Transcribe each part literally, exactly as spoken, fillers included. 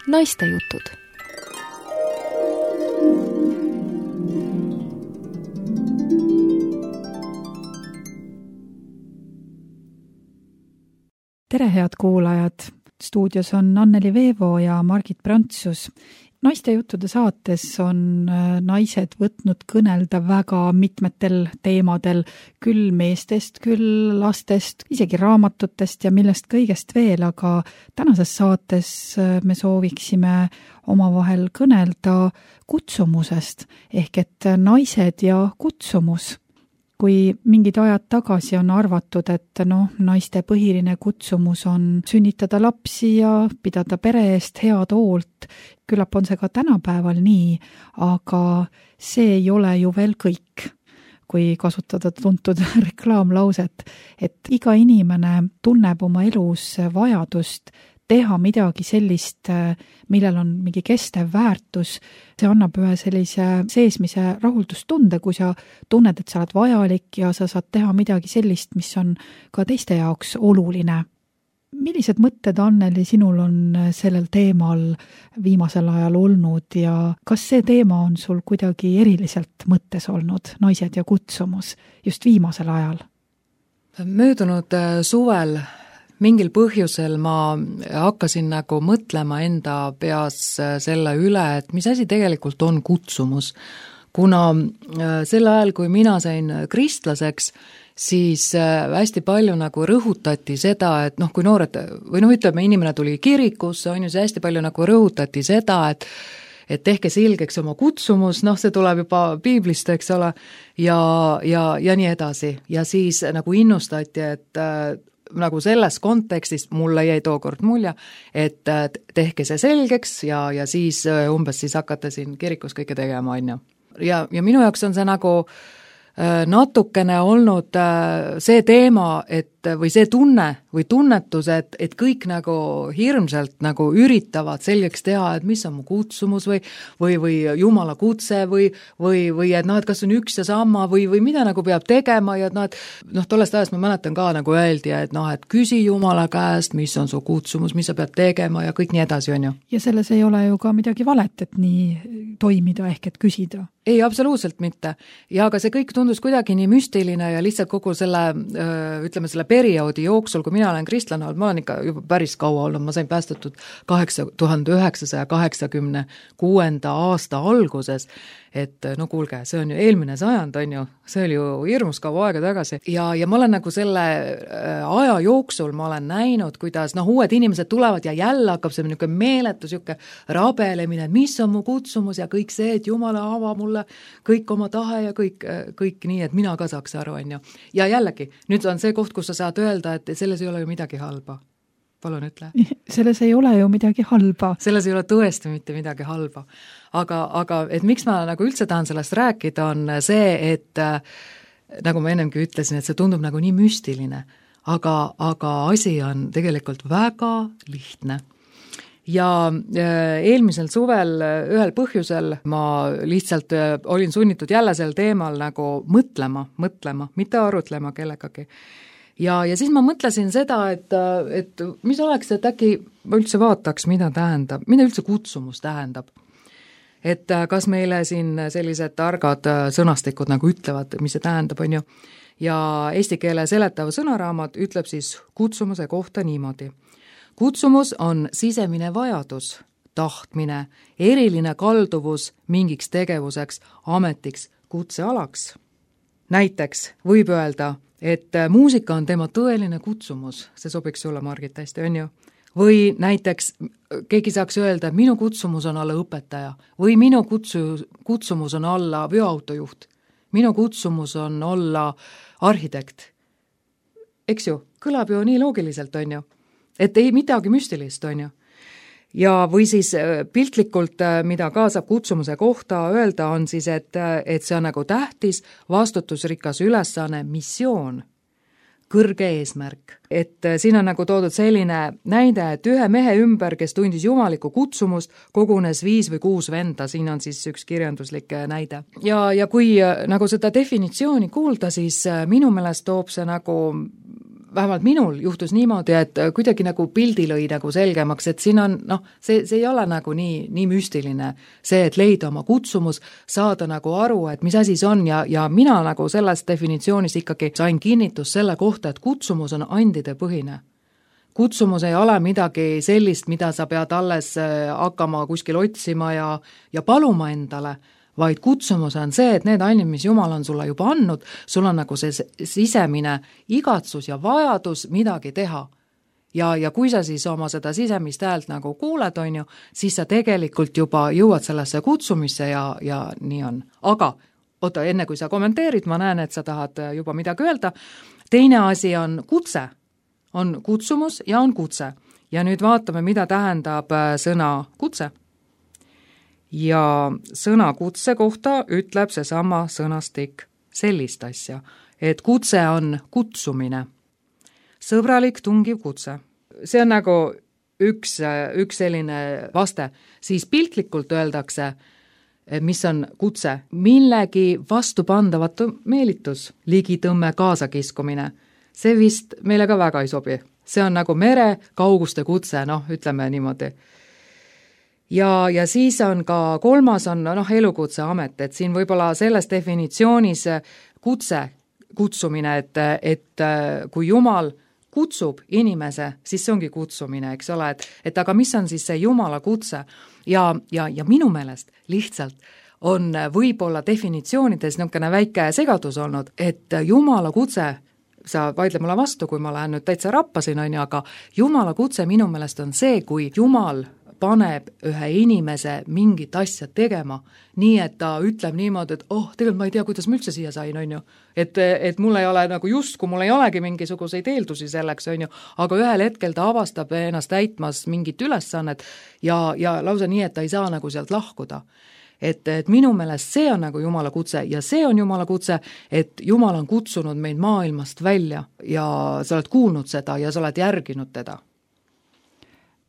Naistejutud. Tere, head kuulajad! Stuudios on Anneli Veevo ja Margit Prantsus. Naistejuttude saates on naised võtnud kõnelda väga mitmetel teemadel, küll meestest, küll lastest, isegi raamatutest ja millest kõigest veel, aga tänases saates me sooviksime omavahel kõnelda kutsumusest, ehk et naised ja kutsumus. Kui mingid ajad tagasi on arvatud, et no, naiste põhiline kutsumus on sünnitada lapsi ja pidada pere eest head hoolt, küllap on see ka tänapäeval nii, aga see ei ole ju veel kõik, kui kasutada tuntud reklaamlauset, et iga inimene tunneb oma elus vajadust teha midagi sellist, millel on mingi kestev väärtus. See annab ühe sellise seesmise rahuldustunde, kui sa tunned, et sa oled vajalik ja sa saad teha midagi sellist, mis on ka teiste jaoks oluline. Millised mõtted, Anneli, sinul on sellel teemal viimasel ajal olnud ja kas see teema on sul kuidagi eriliselt mõttes olnud, naised ja kutsumus, just viimasel ajal? Möödunud suvel mingil põhjusel ma hakkasin nagu mõtlema enda peas selle üle, et mis asi tegelikult on kutsumus. Kuna sel ajal, kui mina sain kristlaseks, siis hästi palju nagu rõhutati seda, et noh, kui noored, või noh, ütleme, inimene tuli kirikusse, on ju see hästi palju nagu rõhutati seda, et et tehke selgeks oma kutsumus, noh, see tuleb juba piiblist, eks ole, ja, ja, ja nii edasi. Ja siis nagu innustati, et nagu selles kontekstis mulle jäi tookord mulje, et tehke see selgeks ja, ja siis umbes siis hakata siin kirikus kõike tegema, on ju. Ja, ja minu jaoks on see nagu natukene olnud see teema, et või see tunne või tunnetus, et, et kõik nagu hirmselt nagu üritavad selgeks teha, et mis on mu kutsumus või, või, või Jumala kutse või, või, või et noh, et kas on üks ja sama või, või mida nagu peab tegema ja et noh, et noh, tollest ajast ma mäletan ka nagu öeldi, et noh, et küsi Jumala käest, mis on su kutsumus, mis sa pead tegema ja kõik nii edasi, on ju. Ja selles ei ole ju ka midagi valet, et nii toimida ehk et küsida. Ei, absoluutselt mitte. Ja aga see kõik tundus kuidagi nii müstiline ja lihtsalt kogu selle, ütleme, selle perioodi jooksul, kui mina olen kristlane olnud, ma olen ikka juba päris kaua olnud, ma sain päästetud tuhande üheksasaja kaheksakümne kuuenda aasta alguses, et no kuulge, see on ju eelmine sajand, on ju, see oli ju hirmus kaua aega tagasi ja, ja ma olen nagu selle aja jooksul ma olen näinud, kuidas noh, uued inimesed tulevad ja jälle hakkab see niisugune meeletu niisugune rabelemine, et mis on mu kutsumus ja kõik see, et Jumala ava mulle kõik oma tahe ja kõik, kõik nii, et mina ka saaks aru, on ju. Ja jällegi, nüüd on see koht, kus sa saad öelda, et selles ei ole ju midagi halba. Palun ütle. Selles ei ole ju midagi halba. Selles ei ole tõesti mitte midagi halba. Aga, aga et miks ma nagu üldse tahan sellest rääkida, on see, et nagu ma ennemgi ütlesin, et see tundub nagu nii müstiline, aga, aga asi on tegelikult väga lihtne. Ja eelmisel suvel ühel põhjusel ma lihtsalt olin sunnitud jälle sel teemal nagu mõtlema, mõtlema, mitte arutlema kellegagi. Ja, ja siis ma mõtlesin seda, et, et mis oleks, et äkki ma üldse vaataks, mida tähendab, mida üldse kutsumus tähendab. Et kas meile siin sellised targad sõnastikud nagu ütlevad, mis see tähendab, on ju. Ja eesti keele seletav sõnaraamat ütleb siis kutsumuse kohta niimoodi. Kutsumus on sisemine vajadus, tahtmine, eriline kalduvus mingiks tegevuseks, ametiks, kutsealaks. Näiteks võib öelda, et muusika on tema tõeline kutsumus, see sobiks sulle, Margit, hästi, on ju? Või näiteks keegi saaks öelda, et minu kutsumus on olla õpetaja või minu kutsu, kutsumus on olla veoautojuht, minu kutsumus on olla arhitekt. Eks ju, kõlab ju nii loogiliselt, on ju? Et ei midagi müstilist, on ju? Ja või siis piltlikult, mida ka saab kutsumuse kohta öelda, on siis, et, et see on nagu tähtis, vastutusrikas ülesanne, missioon, kõrge eesmärk. Et siin on nagu toodud selline näide, et ühe mehe ümber, kes tundis jumalikku kutsumust, kogunes viis või kuus venda, siin on siis üks kirjanduslik näide. Ja, ja kui nagu seda definitsiooni kuulda, siis minu meelest toob see nagu vähemalt minul juhtus niimoodi, et kuidagi nagu pildi lõi nagu selgemaks, et siin on, noh, see, see ei ole nagu nii, nii müstiline, see, et leida oma kutsumus, saada nagu aru, et mis asi see on ja, ja mina nagu selles definitsioonis ikkagi sain kinnitus selle kohta, et kutsumus on andide põhine. Kutsumus ei ole midagi sellist, mida sa pead alles hakkama kuskil otsima ja, ja paluma endale, vaid kutsumus on see, et need andid, mis Jumal on sulle juba andnud, sul on nagu see sisemine igatsus ja vajadus midagi teha. Ja, ja kui sa siis oma seda sisemist häält nagu kuuled, on ju, siis sa tegelikult juba jõuad sellesse kutsumisse ja, ja nii on. Aga, oota, enne kui sa kommenteerid, ma näen, et sa tahad juba midagi öelda. Teine asi on kutse. On kutsumus ja on kutse. Ja nüüd vaatame, mida tähendab sõna kutse. Ja sõna kutse kohta ütleb see sama sõnastik sellist asja, et kutse on kutsumine. Sõbralik tungiv kutse. See on nagu üks, üks selline vaste. Siis piltlikult öeldakse, mis on kutse, millegi vastupandavatu meelitus, ligitõmme kaasakiskumine. See vist meile ka väga ei sobi. See on nagu mere kauguste kutse, noh, ütleme niimoodi. Ja, ja siis on ka kolmas on noh, elukutse amet, et siin võib-olla selles definitsioonis kutse, kutsumine, et, et kui Jumal kutsub inimese, siis see ongi kutsumine, eks ole, et, et aga mis on siis see Jumala kutse ja, ja, ja minu meelest lihtsalt on võib-olla definitsioonides niisugune väike segadus olnud, et Jumala kutse, sa vaidle mulle vastu, kui ma lähen nüüd täitsa rappasin, on ju, aga Jumala kutse minu meelest on see, kui Jumal paneb ühe inimese mingit asja tegema, nii et ta ütleb niimoodi, et oh, tegelikult ma ei tea, kuidas ma üldse siia sain, on ju. Et, et mul ei ole nagu just, kui mul ei olegi mingisuguseid eeldusi selleks, on ju, aga ühel hetkel ta avastab ennast täitmas mingit ülesannet ja, ja lausa nii, et ta ei saa nagu sealt lahkuda. Et, et minu meelest see on nagu Jumala kutse ja see on Jumala kutse, et Jumal on kutsunud meid maailmast välja ja sa oled kuulnud seda ja sa oled järginud teda.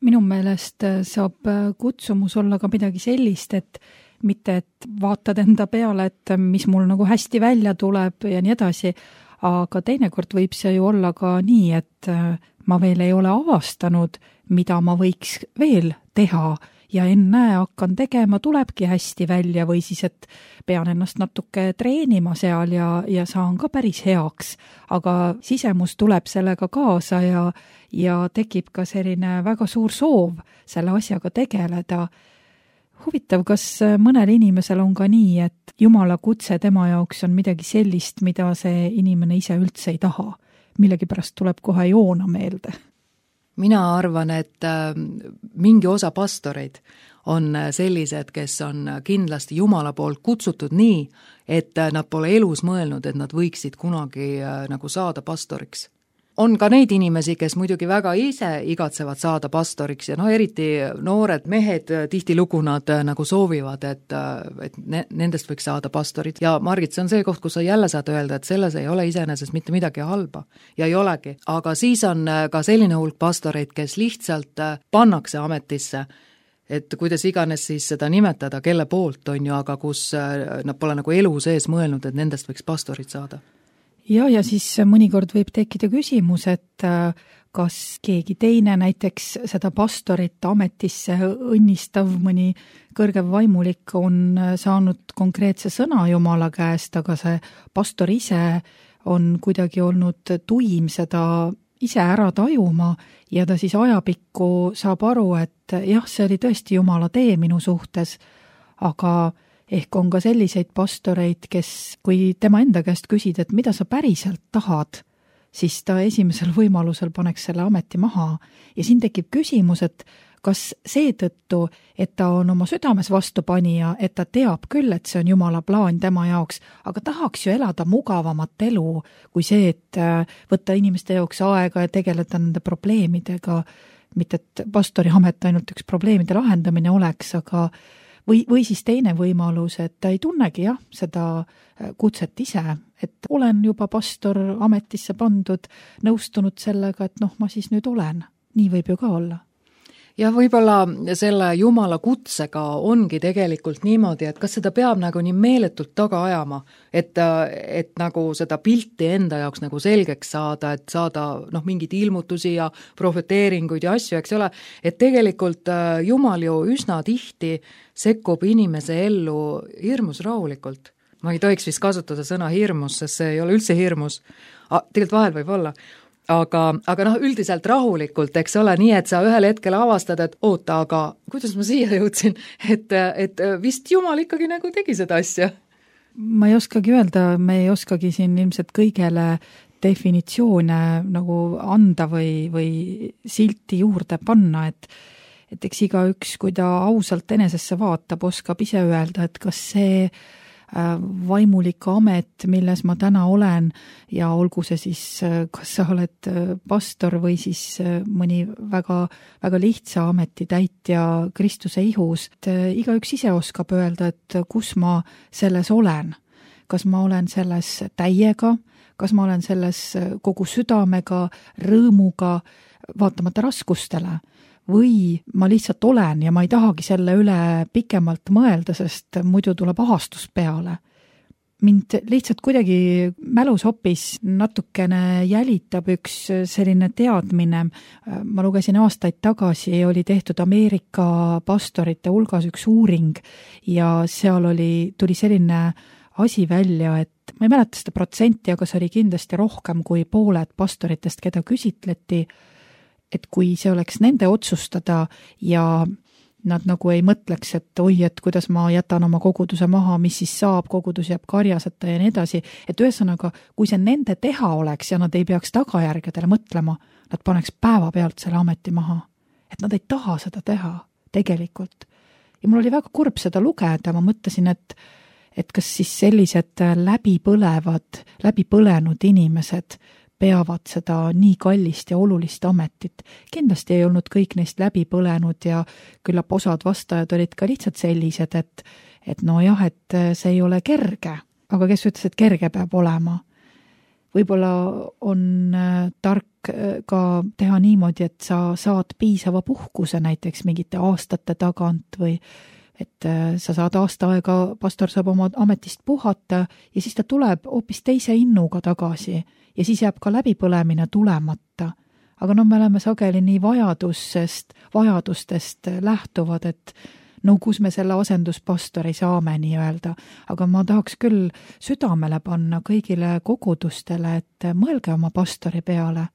Minu meelest saab kutsumus olla ka midagi sellist, et mitte, et vaatad enda peale, et mis mul nagu hästi välja tuleb ja nii edasi, aga teinekord võib see ju olla ka nii, et ma veel ei ole avastanud, mida ma võiks veel teha ja enne hakkan tegema, tulebki hästi välja või siis, et pean ennast natuke treenima seal ja, ja saan ka päris heaks, aga sisemus tuleb sellega kaasa ja, ja tekib ka selline väga suur soov selle asjaga tegeleda. Huvitav, kas mõnel inimesel on ka nii, et Jumala kutse tema jaoks on midagi sellist, mida see inimene ise üldse ei taha, millegipärast tuleb kohe joona meelde? Mina arvan, et mingi osa pastoreid on sellised, kes on kindlasti Jumala poolt kutsutud nii, et nad pole elus mõelnud, et nad võiksid kunagi nagu saada pastoriks. On ka neid inimesi, kes muidugi väga ise igatsevad saada pastoriks ja no eriti noored mehed tihtilugu nad nagu soovivad, et, et nendest võiks saada pastorid. Ja Margit, see on see koht, kus sa jälle saad öelda, et selles ei ole iseenesest mitte midagi halba ja ei olegi. Aga siis on ka selline hulk pastoreid, kes lihtsalt pannakse ametisse, et kuidas iganes siis seda nimetada, kelle poolt on ju, aga kus nad pole nagu elu sees mõelnud, et nendest võiks pastorid saada. Ja, ja siis mõnikord võib tekkida küsimus, et kas keegi teine näiteks seda pastorit ametisse õnnistav mõni kõrgev vaimulik on saanud konkreetse sõna Jumala käest, aga see pastor ise on kuidagi olnud tuim seda ise ära tajuma ja ta siis ajapikku saab aru, et jah, see oli tõesti Jumala tee minu suhtes, aga ehk on ka selliseid pastoreid, kes, kui tema enda käest küsid, et mida sa päriselt tahad, siis ta esimesel võimalusel paneks selle ameti maha. Ja siin tekib küsimus, et kas seetõttu, et ta on oma südames vastupanija, et ta teab küll, et see on Jumala plaan tema jaoks, aga tahaks ju elada mugavamat elu, kui see, et võtta inimeste jaoks aega ja tegeleda nende probleemidega, mitte et pastori amet ainult üks probleemide lahendamine oleks, aga Või, või siis teine võimalus, et ta ei tunnegi jah, seda kutset ise, et olen juba pastor ametisse pandud, nõustunud sellega, et noh, ma siis nüüd olen. Nii võib ju ka olla. ja võib-olla selle Jumala kutsega ongi tegelikult niimoodi, et kas seda peab nagu nii meeletult taga ajama, et, et nagu seda pilti enda jaoks nagu selgeks saada, et saada noh, mingeid ilmutusi ja profeteeringuid ja asju, eks ole, et tegelikult Jumal ju üsna tihti sekkub inimese ellu hirmus rahulikult. Ma ei tohiks vist kasutada sõna hirmus, sest see ei ole üldse hirmus, tegelikult vahel võib olla. Aga, aga noh, üldiselt rahulikult, eks ole, nii, et sa ühel hetkel avastad, et oota, aga kuidas ma siia jõudsin, et, et vist Jumal ikkagi nagu tegi seda asja. Ma ei oskagi öelda, me ei oskagi siin ilmselt kõigele definitsioone nagu anda või, või silti juurde panna, et, et eks iga üks, kui ta ausalt enesesse vaatab, oskab ise öelda, et kas see vaimulik amet, milles ma täna olen ja olgu see siis, kas sa oled pastor või siis mõni väga, väga lihtsa ametitäitja Kristuse ihus, et iga üks ise oskab öelda, et kus ma selles olen. Kas ma olen selles täiega, kas ma olen selles kogu südamega, rõõmuga, vaatamata raskustele, või ma lihtsalt olen ja ma ei tahagi selle üle pikemalt mõelda, sest muidu tuleb ahastus peale. Mind lihtsalt kuidagi mälus hoopis natukene jälitab üks selline teadmine. Ma lugesin aastaid tagasi, oli tehtud Ameerika pastorite hulgas üks uuring ja seal oli, tuli selline asi välja, et ma ei mäleta seda protsenti, aga see oli kindlasti rohkem kui pooled pastoritest, keda küsitleti, et kui see oleks nende otsustada ja nad nagu ei mõtleks, et oi, et kuidas ma jätan oma koguduse maha, mis siis saab, kogudus jääb karjaseta ja nii edasi, et ühesõnaga, kui see nende teha oleks ja nad ei peaks tagajärgedele mõtlema, nad paneks päeva pealt selle ameti maha. Et nad ei taha seda teha tegelikult. Ja mul oli väga kurb seda lugeda, ma mõtlesin, et, et kas siis sellised läbipõlevad, läbipõlenud inimesed peavad seda nii kallist ja olulist ametit. Kindlasti ei olnud kõik neist läbi põlenud ja küllap osad vastajad olid ka lihtsalt sellised, et, et no jah, et see ei ole kerge. Aga kes ütles, et kerge peab olema? Võib-olla on tark ka teha niimoodi, et sa saad piisava puhkuse näiteks mingite aastate tagant või et sa saad aasta aega, pastor saab oma ametist puhata ja siis ta tuleb hoopis teise innuga tagasi ja siis jääb ka läbipõlemine tulemata. Aga no me oleme sageli nii vajadusest, vajadustest lähtuvad, et no kus me selle asenduspastori saame nii öelda. Aga ma tahaks küll südamele panna kõigile kogudustele, et mõelge oma pastori peale.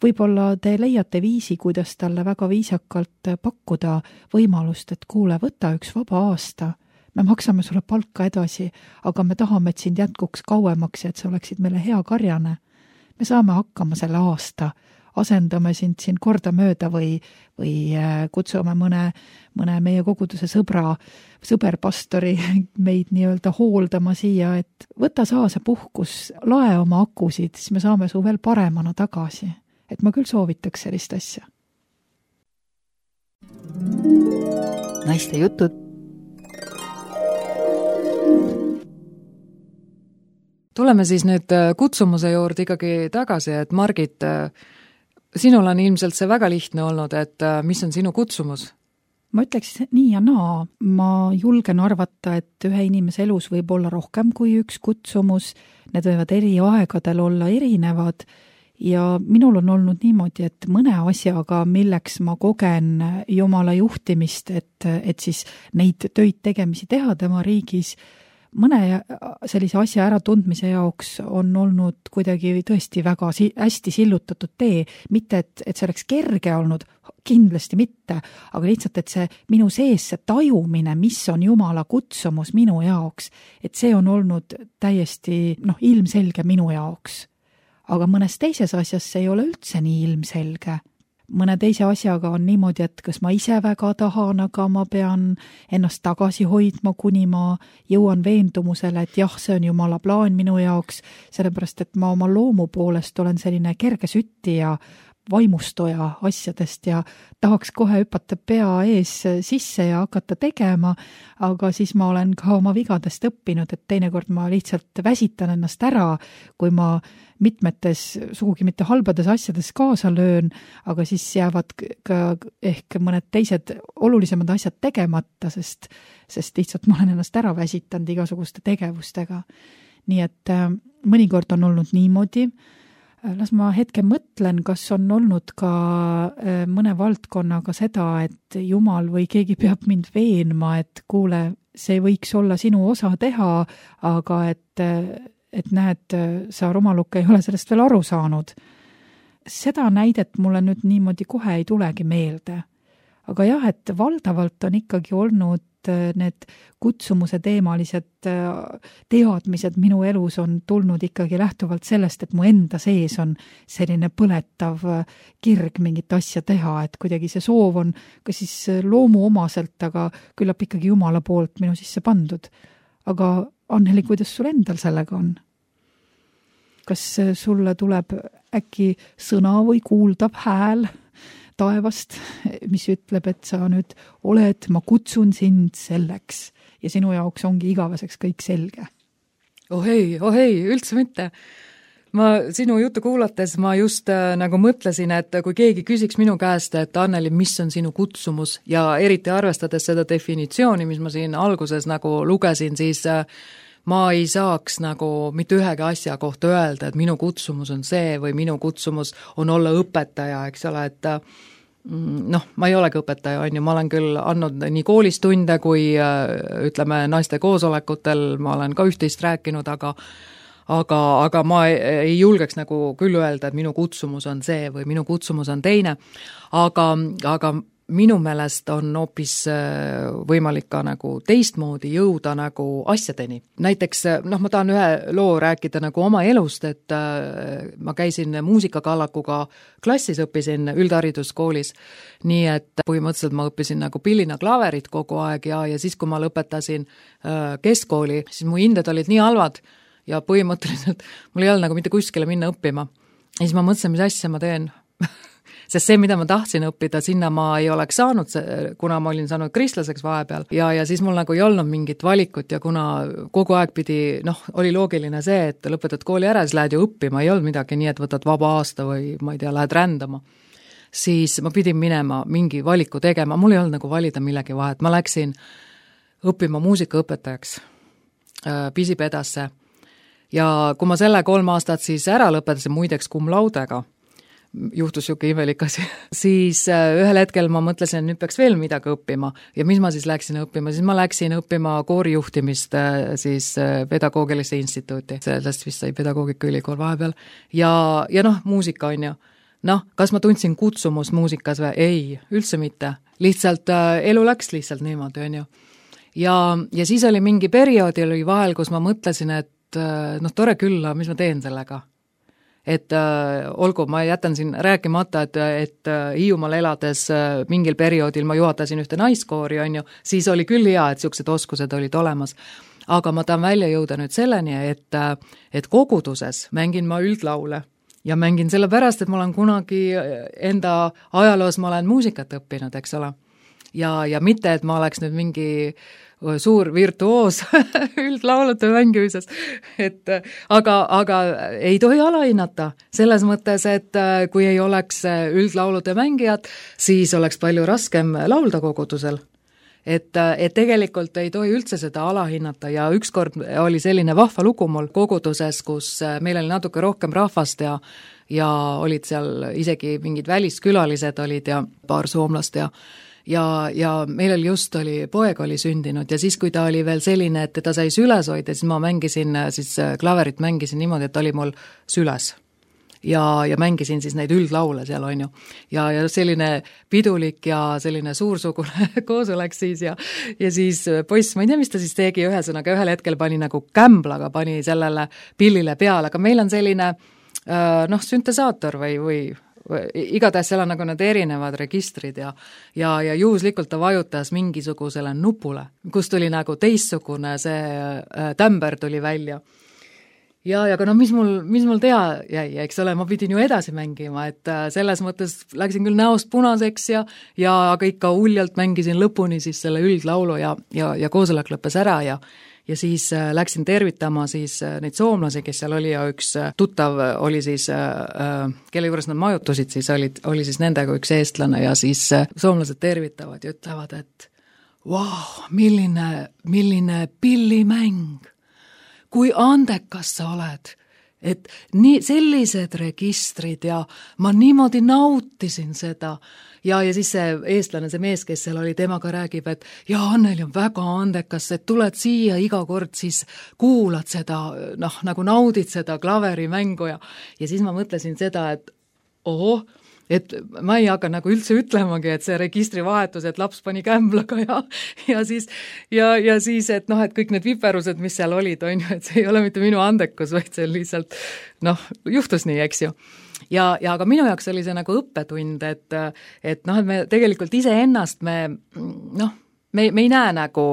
Võib-olla te leiate viisi, kuidas talle väga viisakalt pakkuda võimalust, et kuule, võta üks vaba aasta. Me maksame sulle palka edasi, aga me tahame, et sind jätkuks kauemaks ja et sa oleksid meile hea karjane. Me saame hakkama selle aasta, asendame sind siin korda mööda või, või kutsume mõne, mõne meie koguduse sõbra, sõberpastori meid nii-öelda hooldama siia, et võta saa see puhkus, lae oma akusid, siis me saame su veel paremana tagasi. Et ma küll soovitaks sellist asja. Naiste jutud. Tuleme siis nüüd kutsumuse juurde ikkagi tagasi, et Margit, sinul on ilmselt see väga lihtne olnud, et mis on sinu kutsumus? Ma ütleks nii ja naa. Ma julgen arvata, et ühe inimese elus võib olla rohkem kui üks kutsumus. Need võivad eri aegadel olla erinevad. Ja minul on olnud niimoodi, et mõne asjaga, milleks ma kogen Jumala juhtimist, et, et siis neid töid tegemisi teha tema riigis, mõne sellise asja ära tundmise jaoks on olnud kuidagi tõesti väga si- hästi sillutatud tee. Mitte, et, et see oleks kerge olnud, kindlasti mitte, aga lihtsalt, et see minu sees see tajumine, mis on Jumala kutsumus minu jaoks, et see on olnud täiesti noh, ilmselge minu jaoks. Aga mõnes teises asjas see ei ole üldse nii ilmselge. Mõne teise asjaga on niimoodi, et kas ma ise väga tahan, aga ma pean ennast tagasi hoidma, kuni ma jõuan veendumusele, et jah, see on Jumala plaan minu jaoks, sellepärast, et ma oma loomu poolest olen selline kerge sütti ja vaimustoja asjadest ja tahaks kohe hüpata pea ees sisse ja hakata tegema, aga siis ma olen ka oma vigadest õppinud, et teinekord ma lihtsalt väsitan ennast ära, kui ma mitmetes sugugi mitte halbades asjades kaasa löön, aga siis jäävad ka ehk mõned teised olulisemad asjad tegemata, sest, sest lihtsalt ma olen ennast ära väsitanud igasuguste tegevustega. Nii et äh, mõnikord on olnud niimoodi. Las ma hetke mõtlen, kas on olnud ka äh, mõne valdkonnaga seda, et Jumal või keegi peab mind veenma, et kuule, see võiks olla sinu osa teha, aga et äh, et näed, sa rumaluk ei ole sellest veel aru saanud. Seda näidet mulle nüüd niimoodi kohe ei tulegi meelde. Aga jah, et valdavalt on ikkagi olnud need kutsumuse teemalised teadmised minu elus on tulnud ikkagi lähtuvalt sellest, et mu enda sees on selline põletav kirg mingit asja teha, et kuidagi see soov on ka siis loomuomaselt, aga küllap ikkagi Jumala poolt minu sisse pandud. Aga Anneli, kuidas sul endal sellega on? Kas sulle tuleb äkki sõna või kuuldav hääl taevast, mis ütleb, et sa nüüd oled, ma kutsun sind selleks ja sinu jaoks ongi igaveseks kõik selge? Oh ei, oh ei, üldse mitte. Ma sinu juttu kuulates ma just äh, nagu mõtlesin, et kui keegi küsiks minu käest, et Anneli, mis on sinu kutsumus ja eriti arvestades seda definitsiooni, mis ma siin alguses nagu lugesin, siis äh, ma ei saaks nagu mitte ühegi asja kohta öelda, et minu kutsumus on see või minu kutsumus on olla õpetaja, eks ole, et noh, ma ei olegi õpetaja, on ju, ma olen küll andnud nii koolis tunde kui ütleme naiste koosolekutel, ma olen ka üht-teist rääkinud, aga aga, aga ma ei julgeks nagu küll öelda, et minu kutsumus on see või minu kutsumus on teine, aga, aga minu meelest on hoopis võimalik ka nagu teistmoodi jõuda nagu asjadeni. Näiteks, noh, ma tahan ühe loo rääkida nagu oma elust, et ma käisin muusikakallakuga klassis, õppisin üldhariduskoolis, nii et põhimõtteliselt ma õppisin nagu pillina klaverit kogu aeg ja, ja siis, kui ma lõpetasin keskkooli, siis mu hinded olid nii halvad ja põhimõtteliselt mul ei olnud nagu mitte kuskile minna õppima. Ja siis ma mõtlesin, mis asja ma teen. Sest see, mida ma tahtsin õppida, sinna ma ei oleks saanud, kuna ma olin saanud kristlaseks vahepeal ja, ja siis mul nagu ei olnud mingit valikut ja kuna kogu aeg pidi, noh, oli loogiline see, et lõpetad kooli ära, siis lähed ju õppima, ei olnud midagi nii, et võtad vaba aasta või ma ei tea, lähed rändama, siis ma pidin minema mingi valiku tegema, mul ei olnud nagu valida millegi vahet, ma läksin õppima muusikaõpetajaks äh, Pisipedasse ja kui ma selle kolm aastat siis ära lõpetasin muideks cum laudega, juhtus siuke imelik asi, siis ühel hetkel ma mõtlesin, et nüüd peaks veel midagi õppima ja mis ma siis läksin õppima, siis ma läksin õppima koorijuhtimist siis pedagoogilisse instituuti, sellest vist sai pedagoogikaülikool vahepeal ja, ja noh, muusika on ju, noh, kas ma tundsin kutsumust muusikas või? Ei, üldse mitte, lihtsalt elu läks lihtsalt niimoodi, on ju. Ja, ja siis oli mingi perioodi oli vahel, kus ma mõtlesin, et noh, tore küll, mis ma teen sellega? Et äh, olgu, ma jätan siin rääkimata, et, et äh, Hiiumaal elades äh, mingil perioodil ma juhatasin ühte naiskoori, on ju, siis oli küll hea, et siuksed oskused olid olemas. Aga ma tahan välja jõuda nüüd selleni, et, äh, et koguduses mängin ma üldlaule ja mängin sellepärast, et ma olen kunagi enda ajaloos, ma olen muusikat õppinud, eks ole. Ja, ja mitte, et ma oleks nüüd mingi suur virtuoos üldlaulude mängimises, et aga, aga ei tohi alahinnata selles mõttes, et kui ei oleks üldlaulude mängijad, siis oleks palju raskem laulda kogudusel. Et, et tegelikult ei tohi üldse seda alahinnata ja ükskord oli selline vahva lugu mul koguduses, kus meil oli natuke rohkem rahvast ja, ja olid seal isegi mingid väliskülalised olid ja paar soomlast ja Ja, ja meil oli just oli, poeg oli sündinud ja siis, kui ta oli veel selline, et teda sai süles hoida, siis ma mängisin, siis klaverit mängisin niimoodi, et oli mul süles. Ja, ja mängisin siis neid üldlaule seal, on ju. Ja, ja selline pidulik ja selline suursugune koosolek siis ja, ja siis poiss, ma ei tea, mis ta siis tegi, ühesõnaga ühel hetkel pani nagu kämblaga, pani sellele pillile peale, aga meil on selline noh, süntesaator või, või igatahes seal on nagu need erinevad registrid ja, ja, ja juhuslikult ta vajutas mingisugusele nupule, kus tuli nagu teistsugune see tämber tuli välja. ja, ja aga no mis mul, mis mul teha jäi, eks ole, ma pidin ju edasi mängima, et selles mõttes läksin küll näost punaseks ja, ja aga ikka uljalt mängisin lõpuni siis selle üldlaulu ja, ja, ja koosolek lõppes ära ja ja siis äh, läksin tervitama siis äh, neid soomlasi, kes seal oli ja üks äh, tuttav oli siis äh,, kelle juures nad majutusid, siis olid, oli siis nendega üks eestlane ja siis äh, soomlased tervitavad ja ütlevad, et vau, wow, milline, milline pillimäng, kui andekas sa oled, et nii sellised registrid ja ma niimoodi nautisin seda ja, ja siis see eestlane, see mees, kes seal oli, temaga räägib, et ja Anneli on väga andekas, et tuled siia iga kord, siis kuulad seda, noh, nagu naudid seda klaverimängu ja ja siis ma mõtlesin seda, et ohoh, et ma ei hakka nagu üldse ütlemagi, et see registrivahetus, et laps pani kämblaga ja, ja siis, ja, ja siis, et noh, et kõik need viperused, mis seal olid, on ju, et see ei ole mitte minu andekus, vaid see lihtsalt, noh, juhtus nii, eks ju. Ja, ja aga minu jaoks oli see nagu õppetund, et, et noh, et me tegelikult ise ennast me, noh, me, me ei näe nagu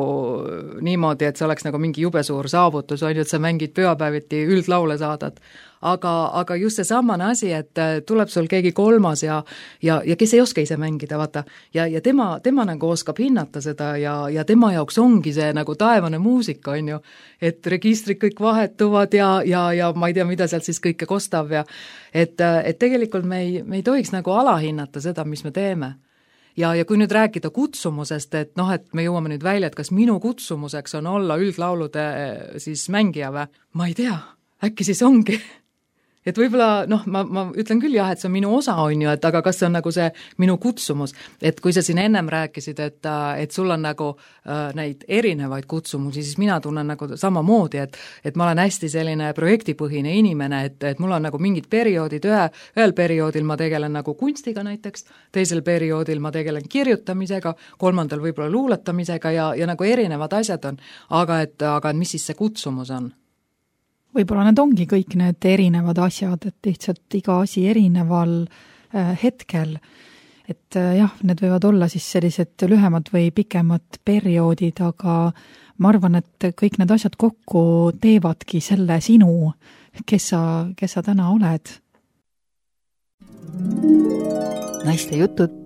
niimoodi, et see oleks nagu mingi jube suur saavutus, on ju, et sa mängid pühapäeviti üldlaule saadad. Aga, aga just see samane asi, et tuleb sul keegi kolmas ja, ja, ja kes ei oska ise mängida, vaata, ja, ja tema, tema nagu oskab hinnata seda ja, ja tema jaoks ongi see nagu taevane muusika, on ju, et registrid kõik vahetuvad ja, ja, ja ma ei tea, mida sealt siis kõike kostab ja et, et tegelikult me ei, me ei tohiks nagu alahinnata seda, mis me teeme. Ja, ja kui nüüd rääkida kutsumusest, et noh, et me jõuame nüüd välja, et kas minu kutsumuseks on olla üldlaulude siis mängija või? Ma ei tea, äkki siis ongi. Et võib-olla, noh, ma, ma ütlen küll jah, et see on minu osa, on ju, et aga kas see on nagu see minu kutsumus, et kui sa siin ennem rääkisid, et, et sul on nagu äh, neid erinevaid kutsumusi, siis mina tunnen nagu samamoodi, et, et ma olen hästi selline projektipõhine inimene, et, et mul on nagu mingid perioodid, ühe, ühel perioodil ma tegelen nagu kunstiga näiteks, teisel perioodil ma tegelen kirjutamisega, kolmandal võib-olla luuletamisega ja, ja nagu erinevad asjad on, aga et, aga mis siis see kutsumus on? Võib-olla need ongi kõik need erinevad asjad, et lihtsalt iga asi erineval äh, hetkel. Et äh, jah, need võivad olla siis sellised lühemad või pikemad perioodid, aga ma arvan, et kõik need asjad kokku teevadki selle sinu, kes sa, kes sa täna oled. Naiste jutud.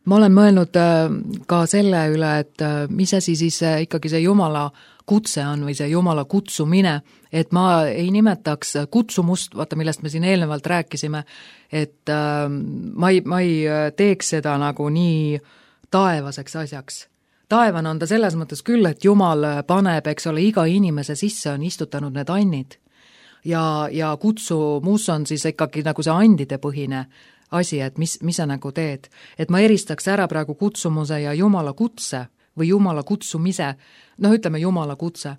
Ma olen mõelnud ka selle üle, et mis asi siis ikkagi see Jumala kutse on või see Jumala kutsumine, et ma ei nimetaks kutsumust, vaata millest me siin eelnevalt rääkisime, et ma ei, ma ei teeks seda nagu nii taevaseks asjaks. Taevan on ta selles mõttes küll, et Jumal paneb, eks ole, iga inimese sisse on istutanud need annid ja, ja kutsumus on siis ikkagi nagu see andide põhine asi, et mis, mis sa nagu teed. Et ma eristaks ära praegu kutsumuse ja Jumala kutse või Jumala kutsumise, noh ütleme Jumala kutse.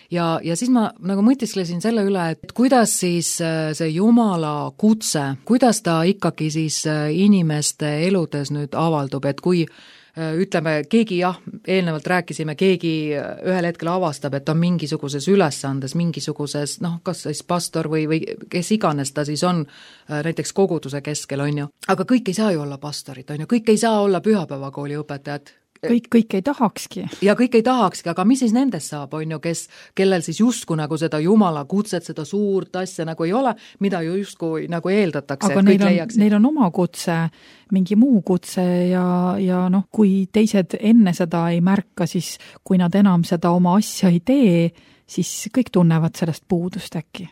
Ja, ja siis ma nagu mõtisklesin selle üle, et kuidas siis see Jumala kutse, kuidas ta ikkagi siis inimeste eludes nüüd avaldub, et kui ütleme, keegi jah, eelnevalt rääkisime, keegi ühel hetkel avastab, et on mingisuguses ülesandes, mingisuguses, noh, kas siis pastor või, või kes iganes ta siis on, näiteks koguduse keskel, on ju. Aga kõik ei saa ju olla pastorid, on ju, kõik ei saa olla pühapäevakooli õpetajad. Kõik, kõik ei tahakski. Ja kõik ei tahakski, aga mis siis nendest saab, on ju, kes, kellel siis justkui nagu seda Jumala kutset, seda suurt asja nagu ei ole, mida ju justkui nagu eeldatakse, aga et kõik neil on, leiaksid. Neil on oma kutse, mingi muu kutse ja, ja noh, kui teised enne seda ei märka, siis kui nad enam seda oma asja ei tee, siis kõik tunnevad sellest puudust äkki.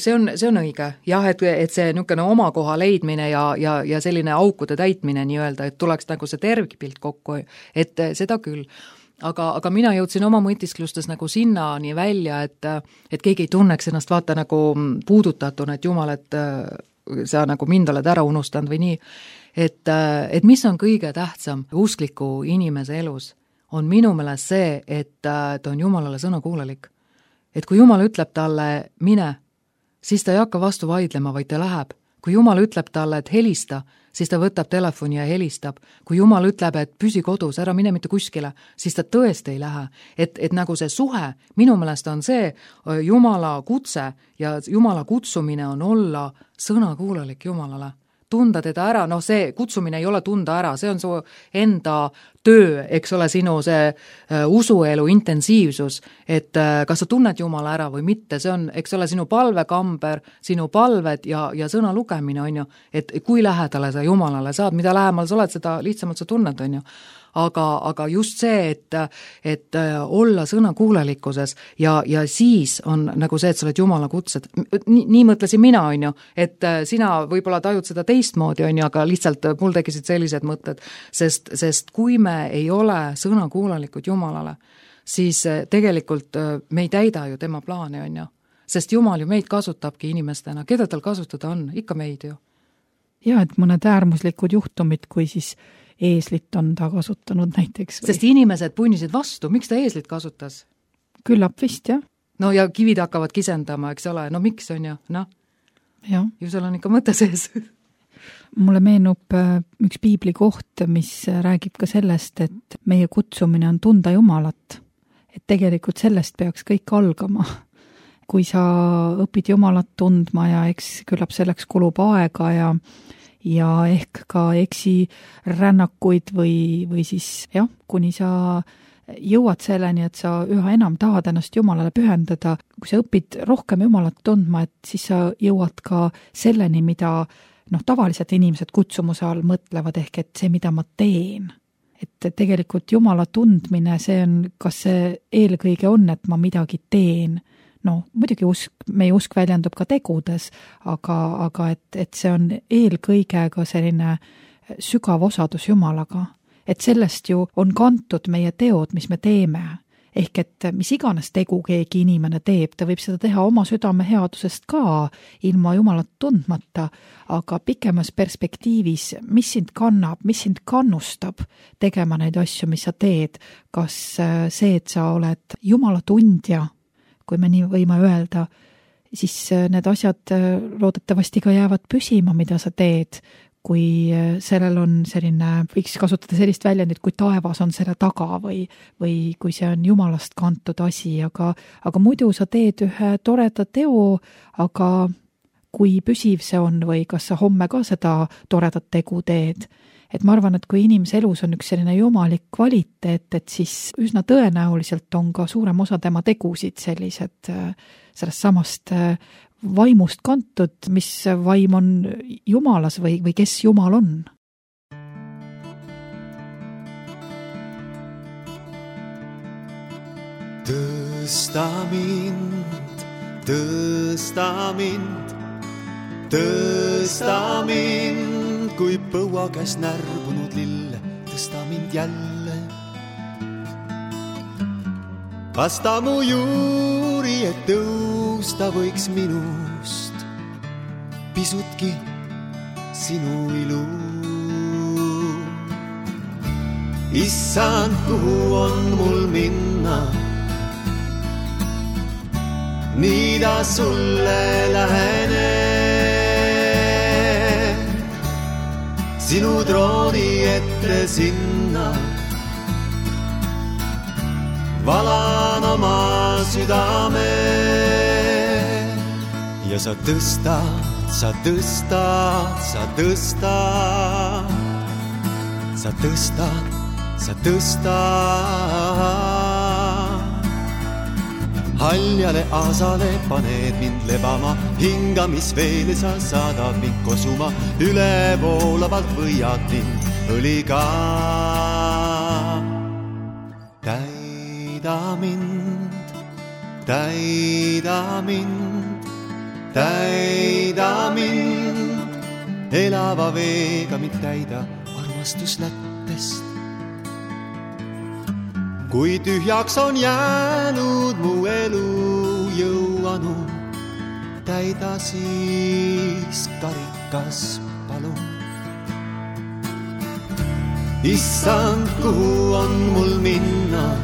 See on, see on õige, jah, et, et see niisugune oma koha leidmine ja, ja, ja selline aukude täitmine nii-öelda, et tuleks nagu see tervikpilt kokku, et seda küll. Aga, aga mina jõudsin oma mõtisklustes nagu sinnani välja, et, et keegi ei tunneks ennast vaata nagu puudutatuna, et Jumal, et sa nagu mind oled ära unustanud või nii. Et, et mis on kõige tähtsam uskliku inimese elus, on minu meelest see, et ta on Jumalale sõnakuulelik. Et kui Jumal ütleb talle, mine, siis ta ei hakka vastu vaidlema, vaid ta läheb. Kui Jumal ütleb talle, et helista, siis ta võtab telefoni ja helistab. Kui Jumal ütleb, et püsi kodus, ära mine mitte kuskile, siis ta tõesti ei lähe. Et, et nagu see suhe, minu meelest on see Jumala kutse ja Jumala kutsumine on olla sõnakuulelik Jumalale. tunda teda ära, noh see kutsumine ei ole tunda ära, see on su enda töö, eks ole, sinu see uh, usuelu intensiivsus, et uh, kas sa tunned Jumala ära või mitte, see on, eks ole, sinu palvekamber, sinu palved ja, ja sõna lugemine on ju, et kui lähedale sa Jumalale saad, mida lähemal sa oled, seda lihtsamalt sa tunned, on ju. Aga, aga just see, et, et olla sõnakuulelikkuses ja, ja siis on nagu see, et sa oled Jumala kutsed. Nii, nii mõtlesin mina, on ju, et sina võib-olla tajud seda teistmoodi, on ju, aga lihtsalt mul tekisid sellised mõtted, sest, sest kui me ei ole sõnakuulelikud Jumalale, siis tegelikult me ei täida ju tema plaani, on ju. Sest Jumal ju meid kasutabki inimestena, keda tal kasutada on, ikka meid ju. Ja, et mõned äärmuslikud juhtumid, kui siis eeslit on ta kasutanud näiteks. Või? Sest inimesed punnisid vastu, miks ta eeslit kasutas? Küllap vist, jah. No ja kivid hakkavad kisendama, eks ole, no miks on ju, noh? Ja. Ju seal on ikka mõte sees. Mulle meenub üks piibli koht, mis räägib ka sellest, et meie kutsumine on tunda Jumalat. Et tegelikult sellest peaks kõik algama. Kui sa õpid Jumalat tundma ja eks küllap selleks kulub aega ja ja ehk ka eksi rännakuid või, või siis jah, kuni sa jõuad selleni, et sa üha enam tahad ennast Jumalale pühendada. Kui sa õpid rohkem Jumalat tundma, et siis sa jõuad ka selleni, mida noh, tavaliselt inimesed kutsumuse all mõtlevad, ehk et see, mida ma teen. Et tegelikult Jumala tundmine, see on, kas see eelkõige on, et ma midagi teen. No, muidugi usk, meie usk väljendub ka tegudes, aga, aga et, et see on eelkõige ka selline sügav osadus Jumalaga. Et sellest ju on kantud meie teod, mis me teeme. Ehk et mis iganes tegu keegi inimene teeb, ta võib seda teha oma südame headusest ka, ilma Jumalat tundmata, aga pikemas perspektiivis, mis sind kannab, mis sind kannustab tegema neid asju, mis sa teed, kas see, et sa oled Jumala tundja, kui me nii võime öelda, siis need asjad loodetavasti ka jäävad püsima, mida sa teed, kui sellel on selline, võiks kasutada sellist väljendit, kui taevas on selle taga või, või kui see on Jumalast kantud asi, aga, aga muidu sa teed ühe toreda teo, aga kui püsiv see on või kas sa homme ka seda toredat tegu teed. Et ma arvan, et kui inimese elus on üks selline jumalik kvaliteet, et siis üsna tõenäoliselt on ka suurem osa tema tegusid sellised sellest samast vaimust kantud, mis vaim on Jumalas või, või kes Jumal on. Tõsta mind, tõsta mind, tõsta mind, kui põua käes närbunud lill, tõsta mind jälle. Vasta mu juuri, et tõusta võiks minust pisutki sinu ilu. Issand, kuhu on mul minna, nii ta sulle lähenen. Sinu trooni ette sinna valan oma südame. Ja sa tõstad, sa tõstad, sa tõstad, sa tõstad, sa tõstad. Haljale aasale paned mind lebama, hingamisveele sa saadad mind kosuma, üle voolavalt võiad mind õliga. Täida mind, täida mind, täida mind, elava veega mind täida armastuslättest. Kui tühjaks on jäänud mu elu jõuanu, täida siis karikas palun. Issand, kuhu on mul minna,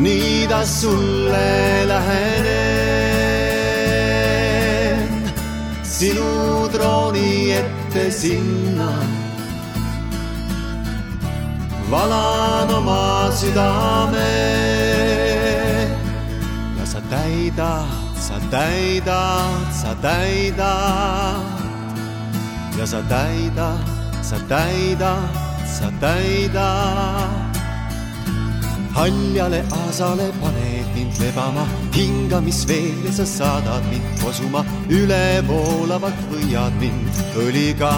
nii ta sulle lähenen. Sinu trooni ette sinna valan oma südame. Ja sa täidad, sa täidad, sa täidad ja sa täidad, sa täidad, sa täidad. Haljale aasale paned mind lebama, hingamis veel ja sa saadad mind kosuma, ülevoolavalt võiad mind õliga.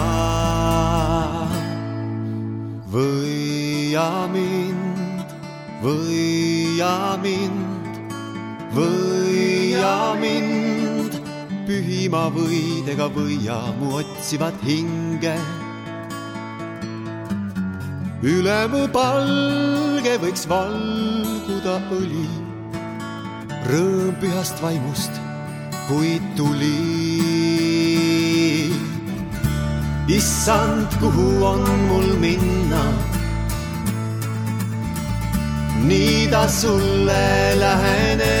Võia mind, võia mind, võia mind, pühima võidega võia mu otsivad hinge. Üle mu palge võiks valguda õli, rõõm pühast vaimust, kui tuli. Issand, kuhu on mul minna, nii ta sulle lähenen,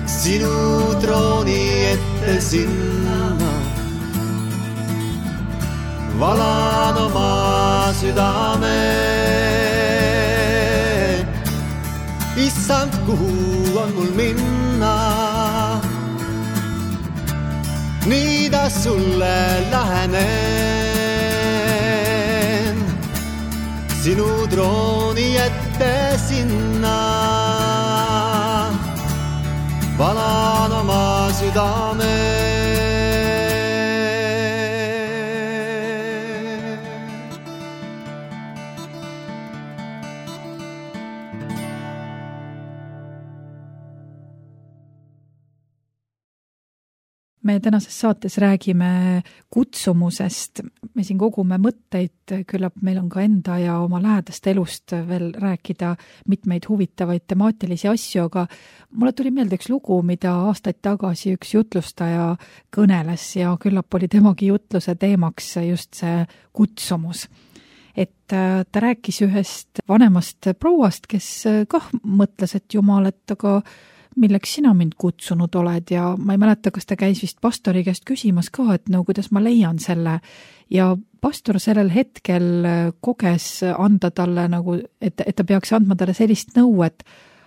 sinu trooni ette sinna. Valan oma südame. Issand, kuhu on mul minna, nii ta sulle lähenen, sinu trooni ette sinna. Valan oma südame. Me tänases saates räägime kutsumusest, me siin kogume mõtteid, küllap meil on ka enda ja oma lähedaste elust veel rääkida mitmeid huvitavaid temaatilisi asju, aga mulle tuli meelde üks lugu, mida aastaid tagasi üks jutlustaja kõneles ja küllap oli temagi jutluse teemaks just see kutsumus. Et ta rääkis ühest vanemast prouast, kes kah mõtles, et jumal, et aga milleks sina mind kutsunud oled ja ma ei mäleta, kas ta käis vist pastori käest küsimas ka, et no kuidas ma leian selle ja pastor sellel hetkel koges anda talle nagu, et, et ta peaks andma talle sellist nõu, et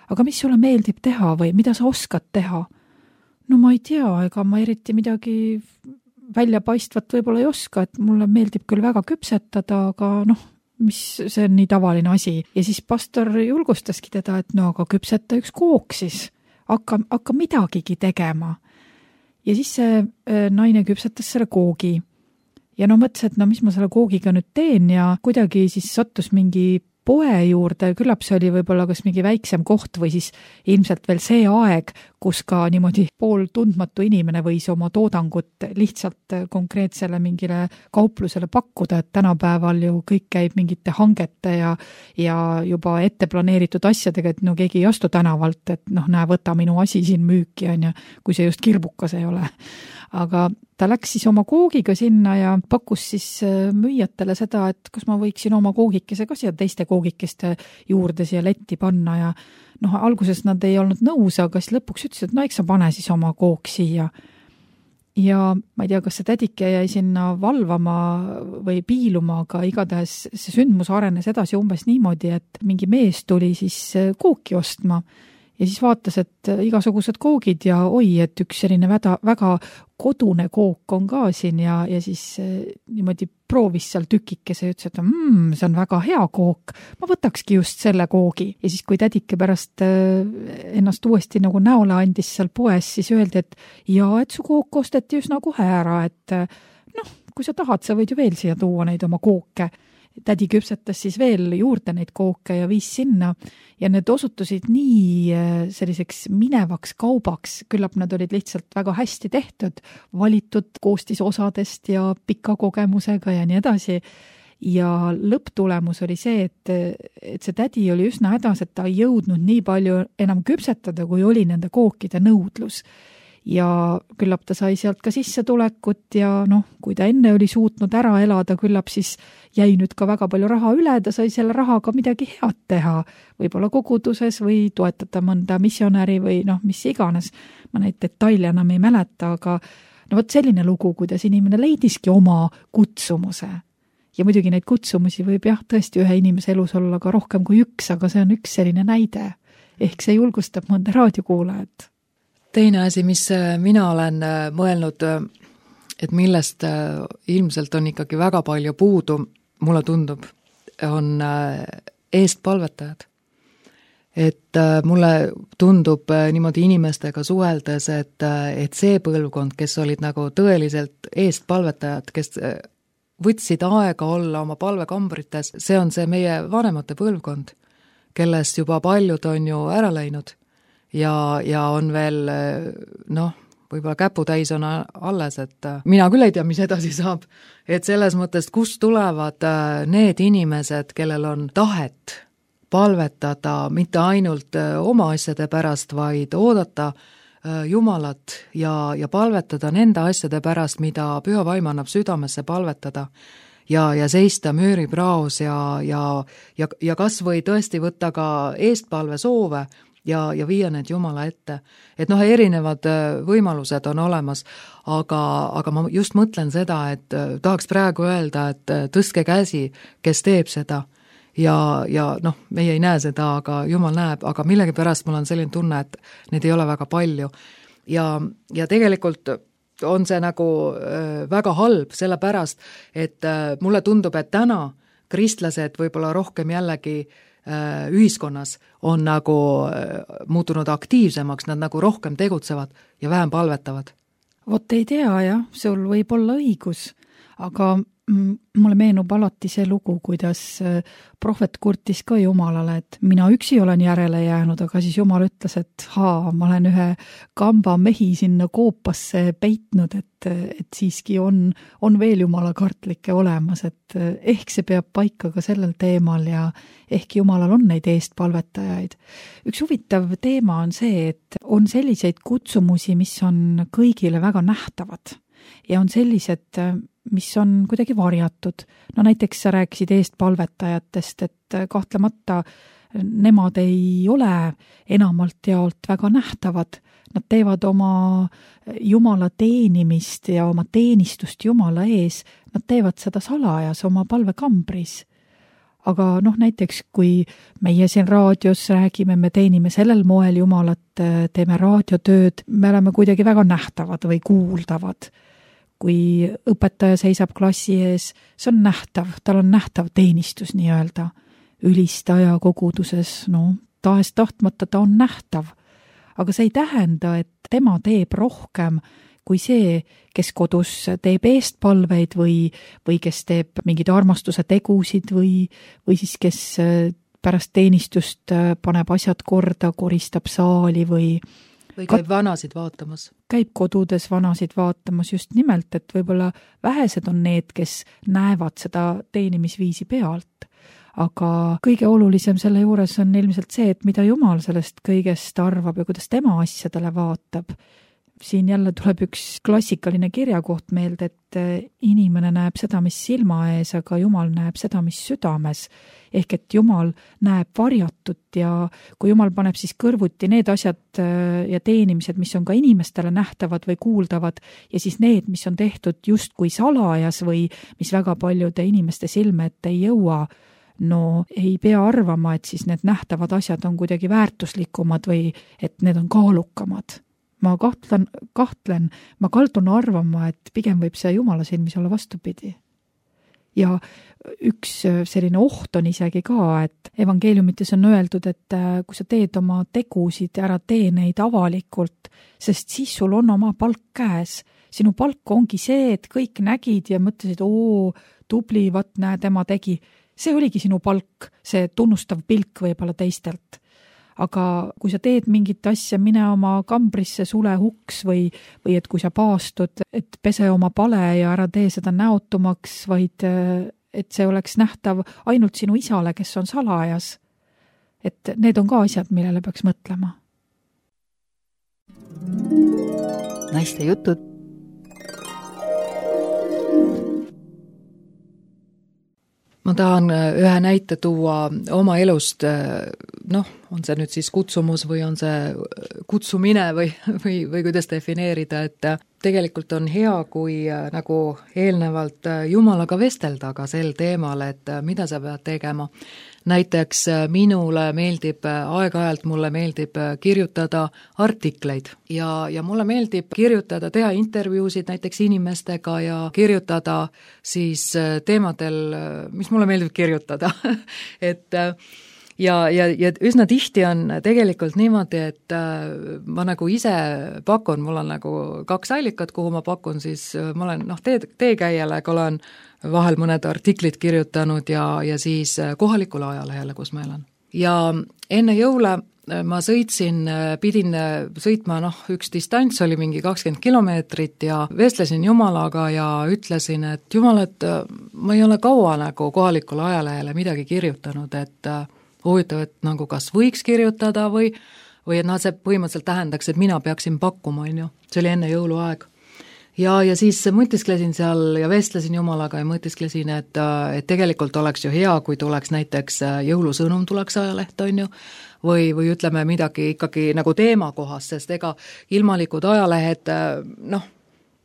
aga mis sulle meeldib teha või mida sa oskad teha? No ma ei tea, ega ma eriti midagi väljapaistvat võib-olla ei oska, et mulle meeldib küll väga küpsetada, aga noh, mis see on nii tavaline asi. Ja siis pastor julgustaski teda, et no aga küpseta üks kook siis. Hakka, hakka midagigi tegema. Ja siis see naine küpsetas selle koogi. Ja no mõtles, et no mis ma selle koogiga nüüd teen ja kuidagi siis sattus mingi poe juurde, küllap see oli võib-olla kas mingi väiksem koht või siis ilmselt veel see aeg, kus ka niimoodi pool tundmatu inimene võis oma toodangut lihtsalt konkreetsele mingile kauplusele pakkuda, et tänapäeval ju kõik käib mingite hangete ja, ja juba ette planeeritud asjadega, et no keegi ei astu tänavalt, et noh, näe, võta minu asi siin müüki, on ja, kui see just kirbukas ei ole. Aga ta läks siis oma koogiga sinna ja pakkus siis müüjatele seda, et kas ma võiksin oma koogikese ka siia teiste koogikeste juurde siia letti panna ja noh, alguses nad ei olnud nõus, aga siis lõpuks ütles, et no eks sa pane siis oma kook siia. Ja ma ei tea, kas see tädike jäi sinna valvama või piiluma, aga igatahes see sündmus arenes edasi umbes niimoodi, et mingi mees tuli siis kooki ostma ja siis vaatas, et igasugused koogid ja oi, et üks selline väga, väga kodune kook on ka siin ja, ja siis niimoodi proovis seal tükikese ja ütles, et mm, see on väga hea kook, ma võtakski just selle koogi. Ja siis, kui tädike pärast ennast uuesti nagu näole andis seal poes, siis öeldi, et jaa, et su kook osteti üsna kohe ära, et noh, kui sa tahad, sa võid ju veel siia tuua neid oma kooke. Tädi küpsetas siis veel juurde neid kooke ja viis sinna ja need osutusid nii selliseks minevaks kaubaks, küllap nad olid lihtsalt väga hästi tehtud, valitud koostisosadest ja pika kogemusega ja nii edasi. Ja lõpptulemus oli see, et, et see tädi oli üsna hädas, et ta ei jõudnud nii palju enam küpsetada, kui oli nende kookide nõudlus. Ja küllap ta sai sealt ka sissetulekut ja noh, kui ta enne oli suutnud ära elada, küllap siis jäi nüüd ka väga palju raha üle, ta sai selle rahaga midagi head teha, võib-olla koguduses või toetada mõnda missionäri või noh, mis iganes. Ma neid detaile enam ei mäleta, aga no võt selline lugu, kuidas inimene leidiski oma kutsumuse. Ja muidugi neid kutsumusi võib jah tõesti ühe inimese elus olla ka rohkem kui üks, aga see on üks selline näide. ehk see julgustab mõnda raadiokuulajat. Teine asi, mis mina olen mõelnud, et millest ilmselt on ikkagi väga palju puudu, mulle tundub, on eestpalvetajad. Et mulle tundub niimoodi inimestega suheldes, et, et see põlvkond, kes olid nagu tõeliselt eestpalvetajad, kes võtsid aega olla oma palvekambrites, see on see meie vanemate põlvkond, kellest juba paljud on ju ära läinud ja, ja on veel noh, võib-olla käputäis on alles, et mina küll ei tea, mis edasi saab, et selles mõttes, kust tulevad need inimesed, kellel on tahet palvetada mitte ainult oma asjade pärast, vaid oodata Jumalat ja, ja palvetada nende asjade pärast, mida Püha Vaim annab südamesse palvetada ja, ja seista müüripraos ja, ja, ja, ja kas või tõesti võtta ka eestpalve soove ja, ja viia need Jumala ette. Et noh, erinevad võimalused on olemas, aga, aga ma just mõtlen seda, et tahaks praegu öelda, et tõstke käsi, kes teeb seda. Ja, ja noh, meie ei näe seda, aga Jumal näeb, aga millegipärast mul on selline tunne, et neid ei ole väga palju. Ja, ja tegelikult on see nagu äh, väga halb, sellepärast, et äh, mulle tundub, et täna kristlased võib-olla rohkem jällegi äh, ühiskonnas on nagu äh, muutunud aktiivsemaks, nad nagu rohkem tegutsevad ja vähem palvetavad. Vot ei tea, jah, sul võib olla õigus, aga mulle meenub alati see lugu, kuidas prohvet kurtis ka Jumalale, et mina üksi olen järele jäänud, aga siis Jumal ütles, et haa, ma olen ühe kamba mehi sinna koopasse peitnud, et, et siiski on, on veel Jumala kartlikke olemas, et ehk see peab paika ka sellel teemal ja ehk Jumalal on neid eestpalvetajaid. Üks huvitav teema on see, et on selliseid kutsumusi, mis on kõigile väga nähtavad ja on sellised, mis on kuidagi varjatud. No näiteks sa rääkisid eestpalvetajatest, et kahtlemata nemad ei ole enamalt jaolt väga nähtavad. Nad teevad oma Jumala teenimist ja oma teenistust Jumala ees. Nad teevad seda salajas oma palvekambris. Aga noh, näiteks kui meie siin raadios räägime, me teenime sellel moel Jumalat, teeme raadiotööd, me oleme kuidagi väga nähtavad või kuuldavad. Kui õpetaja seisab klassi ees, see on nähtav, tal on nähtav teenistus nii-öelda. Ülistaja koguduses, no tahes tahtmata ta on nähtav. Aga see ei tähenda, et tema teeb rohkem kui see, kes kodus teeb eestpalveid või, või kes teeb mingid armastuse tegusid või, või siis kes pärast teenistust paneb asjad korda, koristab saali või või käib vanasid vaatamas. Käib kodudes vanasid vaatamas just nimelt, et võib-olla vähesed on need, kes näevad seda teenimisviisi pealt. Aga kõige olulisem selle juures on ilmselt see, et mida Jumal sellest kõigest arvab ja kuidas tema asjadele vaatab. Siin jälle tuleb üks klassikaline kirjakoht meelde, et inimene näeb seda, mis silma ees, aga Jumal näeb seda, mis südames. Ehk et Jumal näeb varjatut ja kui Jumal paneb siis kõrvuti need asjad ja teenimised, mis on ka inimestele nähtavad või kuuldavad ja siis need, mis on tehtud just kui salajas või mis väga paljude inimeste silme ette ei jõua, no ei pea arvama, et siis need nähtavad asjad on kuidagi väärtuslikumad või et need on kaalukamad. Ma kahtlen, kahtlen, ma kaldun arvama, et pigem võib see Jumala silmis olla vastupidi. Ja üks selline oht on isegi ka, et evangeeliumites on öeldud, et kui sa teed oma tegusid, ära tee neid avalikult, sest siis sul on oma palk käes. Sinu palk ongi see, et kõik nägid ja mõtlesid, oo, tubli, vat näe, tema tegi. See oligi sinu palk, see tunnustav pilk võib-olla teistelt. Aga kui sa teed mingit asja, mine oma kambrisse sule huks või, või et kui sa paastud, et pese oma pale ja ära tee seda näotumaks, vaid et see oleks nähtav ainult sinu isale, kes on salajas. Et need on ka asjad, millele peaks mõtlema. Naiste jutud. Ma tahan ühe näite tuua oma elust, noh, on see nüüd siis kutsumus või on see kutsumine või, või, või kuidas defineerida, et tegelikult on hea, kui nagu eelnevalt Jumalaga vestelda ka sel teemal, et mida sa pead tegema. näiteks minule meeldib, aeg-ajalt mulle meeldib kirjutada artikleid ja, ja mulle meeldib kirjutada, teha intervjuusid näiteks inimestega ja kirjutada siis teemadel, mis mulle meeldib kirjutada et ja, ja, ja üsna tihti on tegelikult niimoodi, et ma nagu ise pakun, mul on nagu kaks allikat, kuhu ma pakun, siis ma olen noh, tee, teekäijale, aga olen vahel mõned artiklid kirjutanud ja, ja siis kohalikule ajalehele, kus ma elan. Ja enne jõule ma sõitsin, pidin sõitma, noh, üks distants oli mingi kakskümmend kilomeetrit ja vestlesin Jumalaga ja ütlesin, et Jumal, et ma ei ole kaua nagu kohalikule ajalehele midagi kirjutanud, et huvitav, et nagu kas võiks kirjutada või, või et noh, see põhimõtteliselt tähendaks, et mina peaksin pakkuma, on ju. See oli enne jõuluaeg. Ja, ja siis mõtisklesin seal ja vestlesin Jumalaga ja mõtisklesin, et, et tegelikult oleks ju hea, kui tuleks näiteks jõulusõnum tuleks ajaleht, on ju, või, või ütleme midagi ikkagi nagu teema kohas, sest ega ilmalikud ajalehed, noh,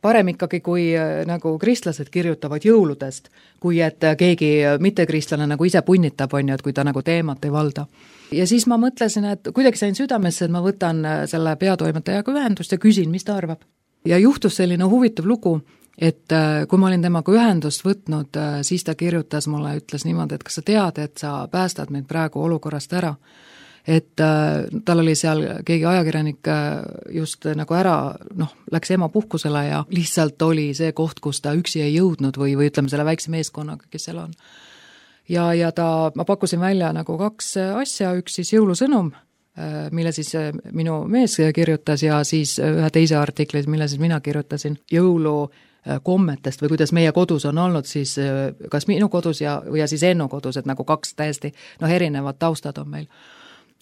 parem ikkagi, kui nagu kristlased kirjutavad jõuludest, kui et keegi mittekristlane nagu ise punnitab, on ju, et kui ta nagu teemat ei valda. Ja siis ma mõtlesin, et kuidagi sain südamesse, et ma võtan selle peatoimetajaga ühendust ja küsin, mis ta arvab. Ja juhtus selline huvitav lugu, et kui ma olin temaga ühendust võtnud, siis ta kirjutas mulle, ütles niimoodi, et kas sa tead, et sa päästad meid praegu olukorrast ära. Et tal oli seal keegi ajakirjanik just nagu ära, noh, läks ema puhkusele ja lihtsalt oli see koht, kus ta üksi ei jõudnud või, või ütleme selle väikse meeskonnaga, kes seal on. Ja, ja ta, ma pakkusin välja nagu kaks asja, üks siis jõulusõnum, mille siis minu mees kirjutas ja siis ühe teise artikli, mille siis mina kirjutasin jõulu kommetest või kuidas meie kodus on olnud siis kas minu kodus ja, ja siis Ennu kodus, et nagu kaks täiesti noh, erinevad taustad on meil.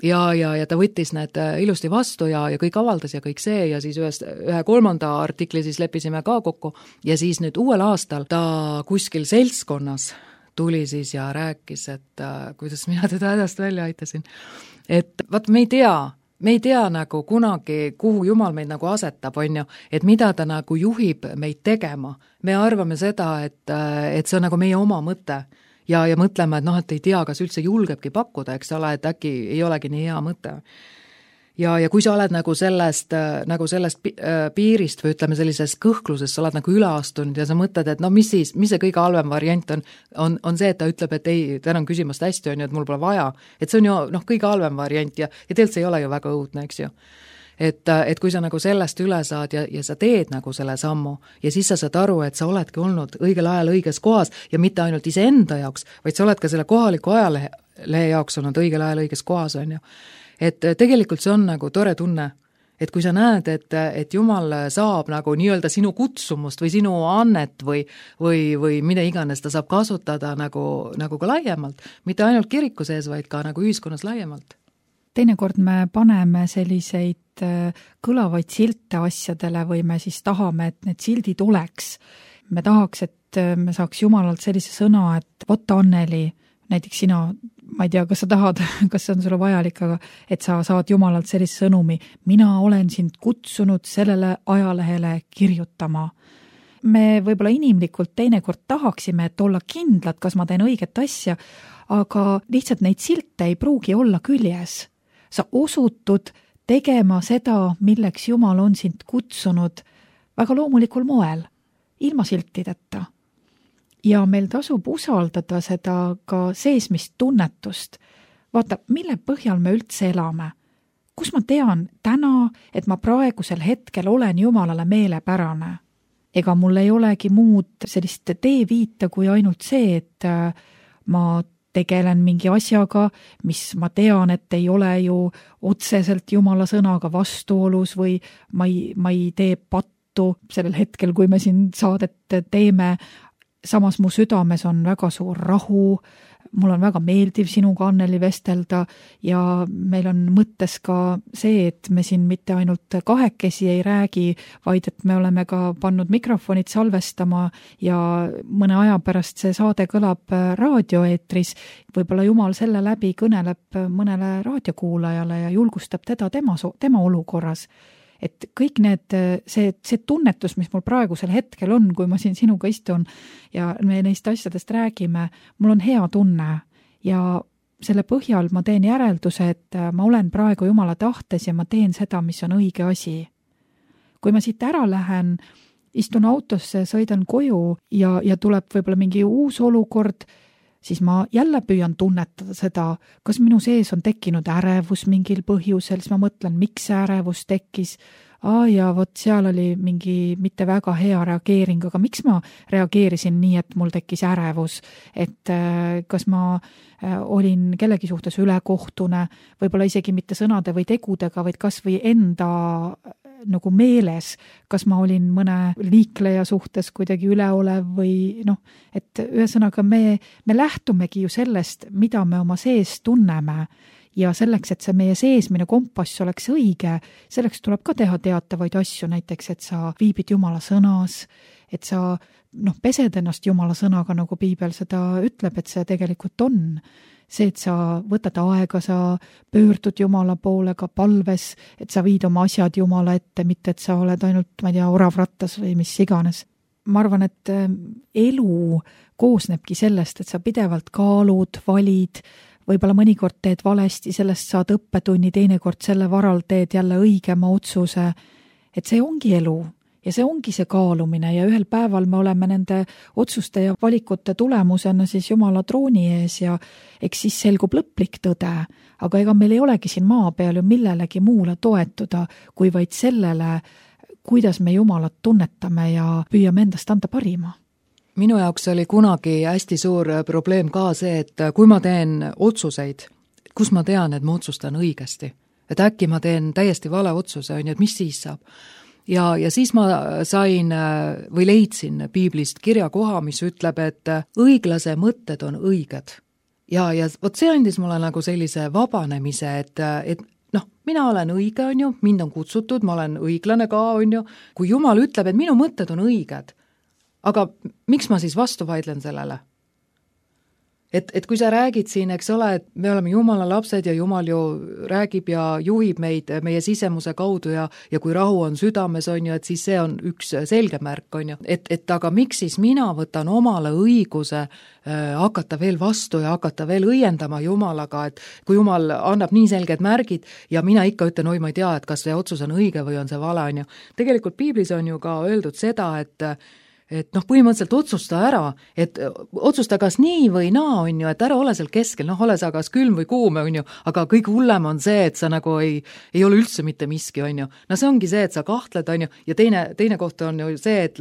Ja, ja, ja ta võttis need ilusti vastu ja, ja kõik avaldas ja kõik see ja siis ühest, ühe kolmanda artikli siis leppisime ka kokku ja siis nüüd uuel aastal ta kuskil seltskonnas tuli siis ja rääkis, et äh, kuidas mina teda hädast välja aitasin. Et vaat me ei tea, me ei tea nagu kunagi, kuhu Jumal meid nagu asetab, on ju, et mida ta nagu juhib meid tegema. Me arvame seda, et, et see on nagu meie oma mõte ja, ja mõtleme, et noh, et ei tea, kas üldse julgebki pakkuda, eks ole, et äkki ei olegi nii hea mõte. Ja, ja kui sa oled nagu sellest, nagu sellest piirist või ütleme sellisest kõhklusest, sa oled nagu üle astunud ja sa mõtled, et no mis siis, mis see kõige halvem variant on, on, on see, et ta ütleb, et ei, tänan küsimast hästi, on ju, et mul pole vaja. Et see on ju noh, kõige halvem variant ja, ja tegelikult see ei ole ju väga õudne, eks ju. Et, et kui sa nagu sellest üle saad ja, ja sa teed nagu selle sammu ja siis sa saad aru, et sa oledki olnud õigel ajal õiges kohas ja mitte ainult iseenda jaoks, vaid sa oled ka selle kohaliku ajalehe jaoks olnud õigel ajal õiges kohas, on ju. Et tegelikult see on nagu tore tunne, et kui sa näed, et, et Jumal saab nagu nii-öelda sinu kutsumust või sinu annet või, või, või mida iganes ta saab kasutada nagu, nagu ka laiemalt, mitte ainult kiriku sees, vaid ka nagu ühiskonnas laiemalt. Teinekord me paneme selliseid kõlavaid silte asjadele või me siis tahame, et need sildid oleks. Me tahaks, et me saaks Jumalalt sellise sõna, et vot Anneli, näiteks sina, ma ei tea, kas sa tahad, kas see on sulle vajalik, aga et sa saad Jumalalt sellise sõnumi, mina olen sind kutsunud sellele ajalehele kirjutama. Me võib-olla inimlikult teinekord tahaksime, et olla kindlad, kas ma teen õiget asja, aga lihtsalt neid silte ei pruugi olla küljes. Sa osutud tegema seda, milleks Jumal on sind kutsunud väga loomulikul moel, ilma siltideta. Ja meil tasub usaldada seda ka seesmist tunnetust. Vaata, mille põhjal me üldse elame? Kus ma tean täna, et ma praegusel hetkel olen Jumalale meelepärane? Ega mul ei olegi muud sellist teeviita kui ainult see, et ma tegelen mingi asjaga, mis ma tean, et ei ole ju otseselt Jumala sõnaga vastuolus või ma ei, ma ei tee pattu sellel hetkel, kui me siin saadet teeme. Samas mu südames on väga suur rahu, mul on väga meeldiv sinuga, Anneli, vestelda ja meil on mõttes ka see, et me siin mitte ainult kahekesi ei räägi, vaid et me oleme ka pannud mikrofonid salvestama ja mõne aja pärast see saade kõlab raadioeetris. Võib-olla Jumal selle läbi kõneleb mõnele raadiokuulajale ja julgustab teda tema, tema olukorras. Et kõik need, see, see tunnetus, mis mul praegusel hetkel on, kui ma siin sinuga istun ja me neist asjadest räägime, mul on hea tunne ja selle põhjal ma teen järelduse, et ma olen praegu Jumala tahtes ja ma teen seda, mis on õige asi. Kui ma siit ära lähen, istun autosse, sõidan koju ja, ja tuleb võib-olla mingi uus olukord, siis ma jälle püüan tunnetada seda, kas minu sees on tekkinud ärevus mingil põhjusel, siis ma mõtlen, miks see ärevus tekkis. Aa, ja vot seal oli mingi mitte väga hea reageering, aga miks ma reageerisin nii, et mul tekkis ärevus, et kas ma olin kellegi suhtes ülekohtune, võib-olla isegi mitte sõnade või tegudega, vaid kas või enda nagu meeles, kas ma olin mõne liikleja suhtes kuidagi üleolev või noh, et ühesõnaga me, me lähtumegi ju sellest, mida me oma sees tunneme ja selleks, et see meie seesmine kompass oleks õige, selleks tuleb ka teha teatavaid asju, näiteks, et sa viibid Jumala sõnas, et sa noh, pesed ennast Jumala sõnaga, nagu Piibel seda ütleb, et see tegelikult on. See, et sa võtad aega, sa pöördud Jumala poole ka palves, et sa viid oma asjad Jumala ette, mitte et sa oled ainult, ma ei tea, oravrattas või mis iganes. Ma arvan, et elu koosnebki sellest, et sa pidevalt kaalud, valid, võib-olla mõnikord teed valesti, sellest saad õppetunni, teinekord selle varal teed jälle õigema otsuse, et see ongi elu. Ja see ongi see kaalumine ja ühel päeval me oleme nende otsuste ja valikute tulemusena siis Jumala trooni ees ja eks siis selgub lõplik tõde, aga ega meil ei olegi siin maa peal ju millelegi muule toetuda, kui vaid sellele, kuidas me Jumalat tunnetame ja püüame endast anda parima. Minu jaoks oli kunagi hästi suur probleem ka see, et kui ma teen otsuseid, kus ma tean, et ma otsustan õigesti, et äkki ma teen täiesti vale otsuse, et mis siis saab. Ja, ja siis ma sain või leidsin Piiblist kirjakoha, mis ütleb, et õiglase mõtted on õiged. Ja, ja vot see andis mulle nagu sellise vabanemise, et, et noh, mina olen õige, on ju, mind on kutsutud, ma olen õiglane ka, on ju, kui Jumal ütleb, et minu mõtted on õiged. Aga miks ma siis vastu vaidlen sellele? Et, et kui sa räägid siin, eks ole, et me oleme Jumala lapsed ja Jumal ju räägib ja juhib meid meie sisemuse kaudu ja, ja kui rahu on südames, on ju, et siis see on üks selge märk, on ju. Et, et aga miks siis mina võtan omale õiguse äh, hakata veel vastu ja hakata veel õiendama Jumalaga, et kui Jumal annab nii selged märgid ja mina ikka ütlen, oi, ma ei tea, et kas see otsus on õige või on see vale, on ju. Tegelikult Piiblis on ju ka öeldud seda, et et noh, põhimõtteliselt otsusta ära, et otsusta kas nii või naa, on ju, et ära ole seal keskel, noh, ole sa kas külm või kuum, on ju, aga kõige hullem on see, et sa nagu ei, ei ole üldse mitte miski, on ju. No see ongi see, et sa kahtled, on ju, ja teine, teine koht on ju see, et,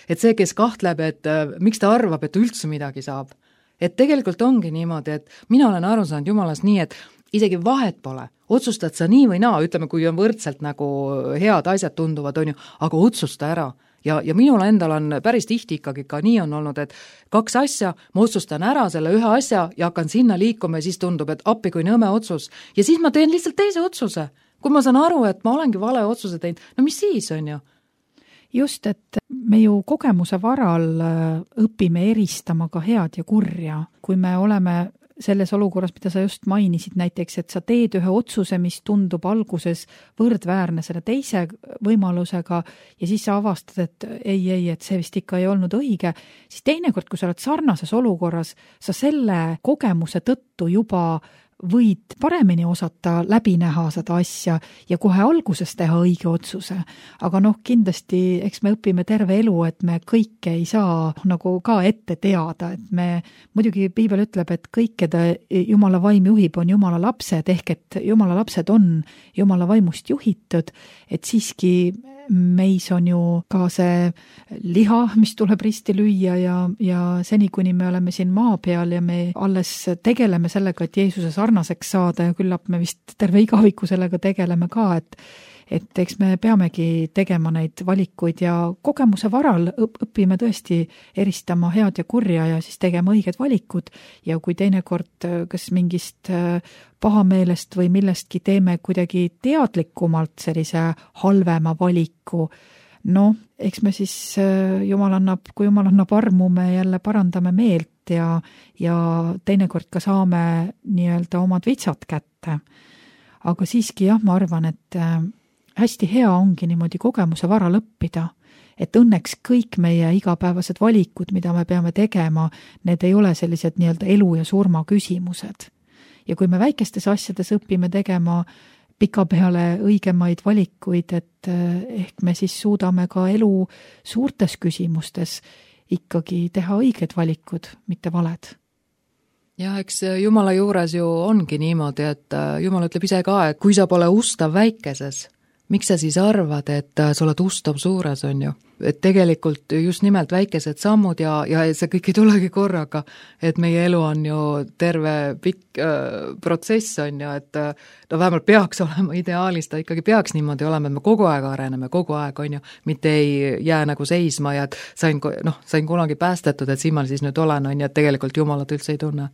et see, kes kahtleb, et miks ta arvab, et üldse midagi saab. Et tegelikult ongi niimoodi, et mina olen aru saanud Jumalast nii, et isegi vahet pole, otsustad sa nii või naa, ütleme, kui on võrdselt nagu head asjad tunduvad, on ju, aga otsusta ära. Ja, ja minul endal on päris tihti ikkagi ka nii on olnud, et kaks asja, ma otsustan ära selle ühe asja ja hakkan sinna liikuma ja siis tundub, et appi kui nõme otsus. Ja siis ma teen lihtsalt teise otsuse. Kui ma saan aru, et ma olengi vale otsuse teinud, no mis siis on ju? Just, et me ju kogemuse varal õpime eristama ka head ja kurja. Kui me oleme selles olukorras, mida sa just mainisid näiteks, et sa teed ühe otsuse, mis tundub alguses võrdväärne selle teise võimalusega ja siis sa avastad, et ei, ei, et see vist ikka ei olnud õige, siis teinekord, kui sa oled sarnases olukorras, sa selle kogemuse tõttu juba võid paremini osata läbi näha seda asja ja kohe alguses teha õige otsuse. Aga noh, kindlasti, eks me õpime terve elu, et me kõike ei saa nagu ka ette teada, et me, muidugi Piibel ütleb, et kõik, keda Jumala vaim juhib, on Jumala lapsed, ehk et Jumala lapsed on Jumala vaimust juhitud, et siiski meis on ju ka see liha, mis tuleb risti lüüa ja, ja seni, kuni me oleme siin maa peal ja me alles tegeleme sellega, et Jeesuse sarnaseks saada ja küllap me vist terve igaviku sellega tegeleme ka, et et eks me peamegi tegema neid valikuid ja kogemuse varal õpime tõesti eristama head ja kurja ja siis tegema õiged valikud ja kui teinekord kas mingist pahameelest või millestki teeme kuidagi teadlikumalt sellise halvema valiku, no eks me siis Jumal annab, kui Jumal annab armu, me jälle parandame meelt ja, ja teinekord ka saame nii-öelda omad vitsad kätte. Aga siiski jah, ma arvan, et hästi hea ongi niimoodi kogemuse varal õppida, et õnneks kõik meie igapäevased valikud, mida me peame tegema, need ei ole sellised nii-öelda elu ja surma küsimused. ja kui me väikestes asjades õpime tegema pikapeale õigemaid valikuid, et ehk me siis suudame ka elu suurtes küsimustes ikkagi teha õiged valikud, mitte valed. Ja eks Jumala juures ju ongi niimoodi, et Jumal ütleb ise ka, et kui sa pole ustav väikeses, miks sa siis arvad, et sa oled ustav suures, on ju? Et tegelikult just nimelt väikesed sammud ja, ja see kõik ei tulegi korraga, et meie elu on ju terve pikk äh, protsess, on ju, et no vähemalt peaks olema ideaalis, ta ikkagi peaks niimoodi olema, et me kogu aeg areneme, kogu aeg, on ju, mitte ei jää nagu seisma ja et sain, noh, sain kunagi päästetud, et siin ma siis nüüd olen, on ju, et tegelikult Jumalat üldse ei tunne.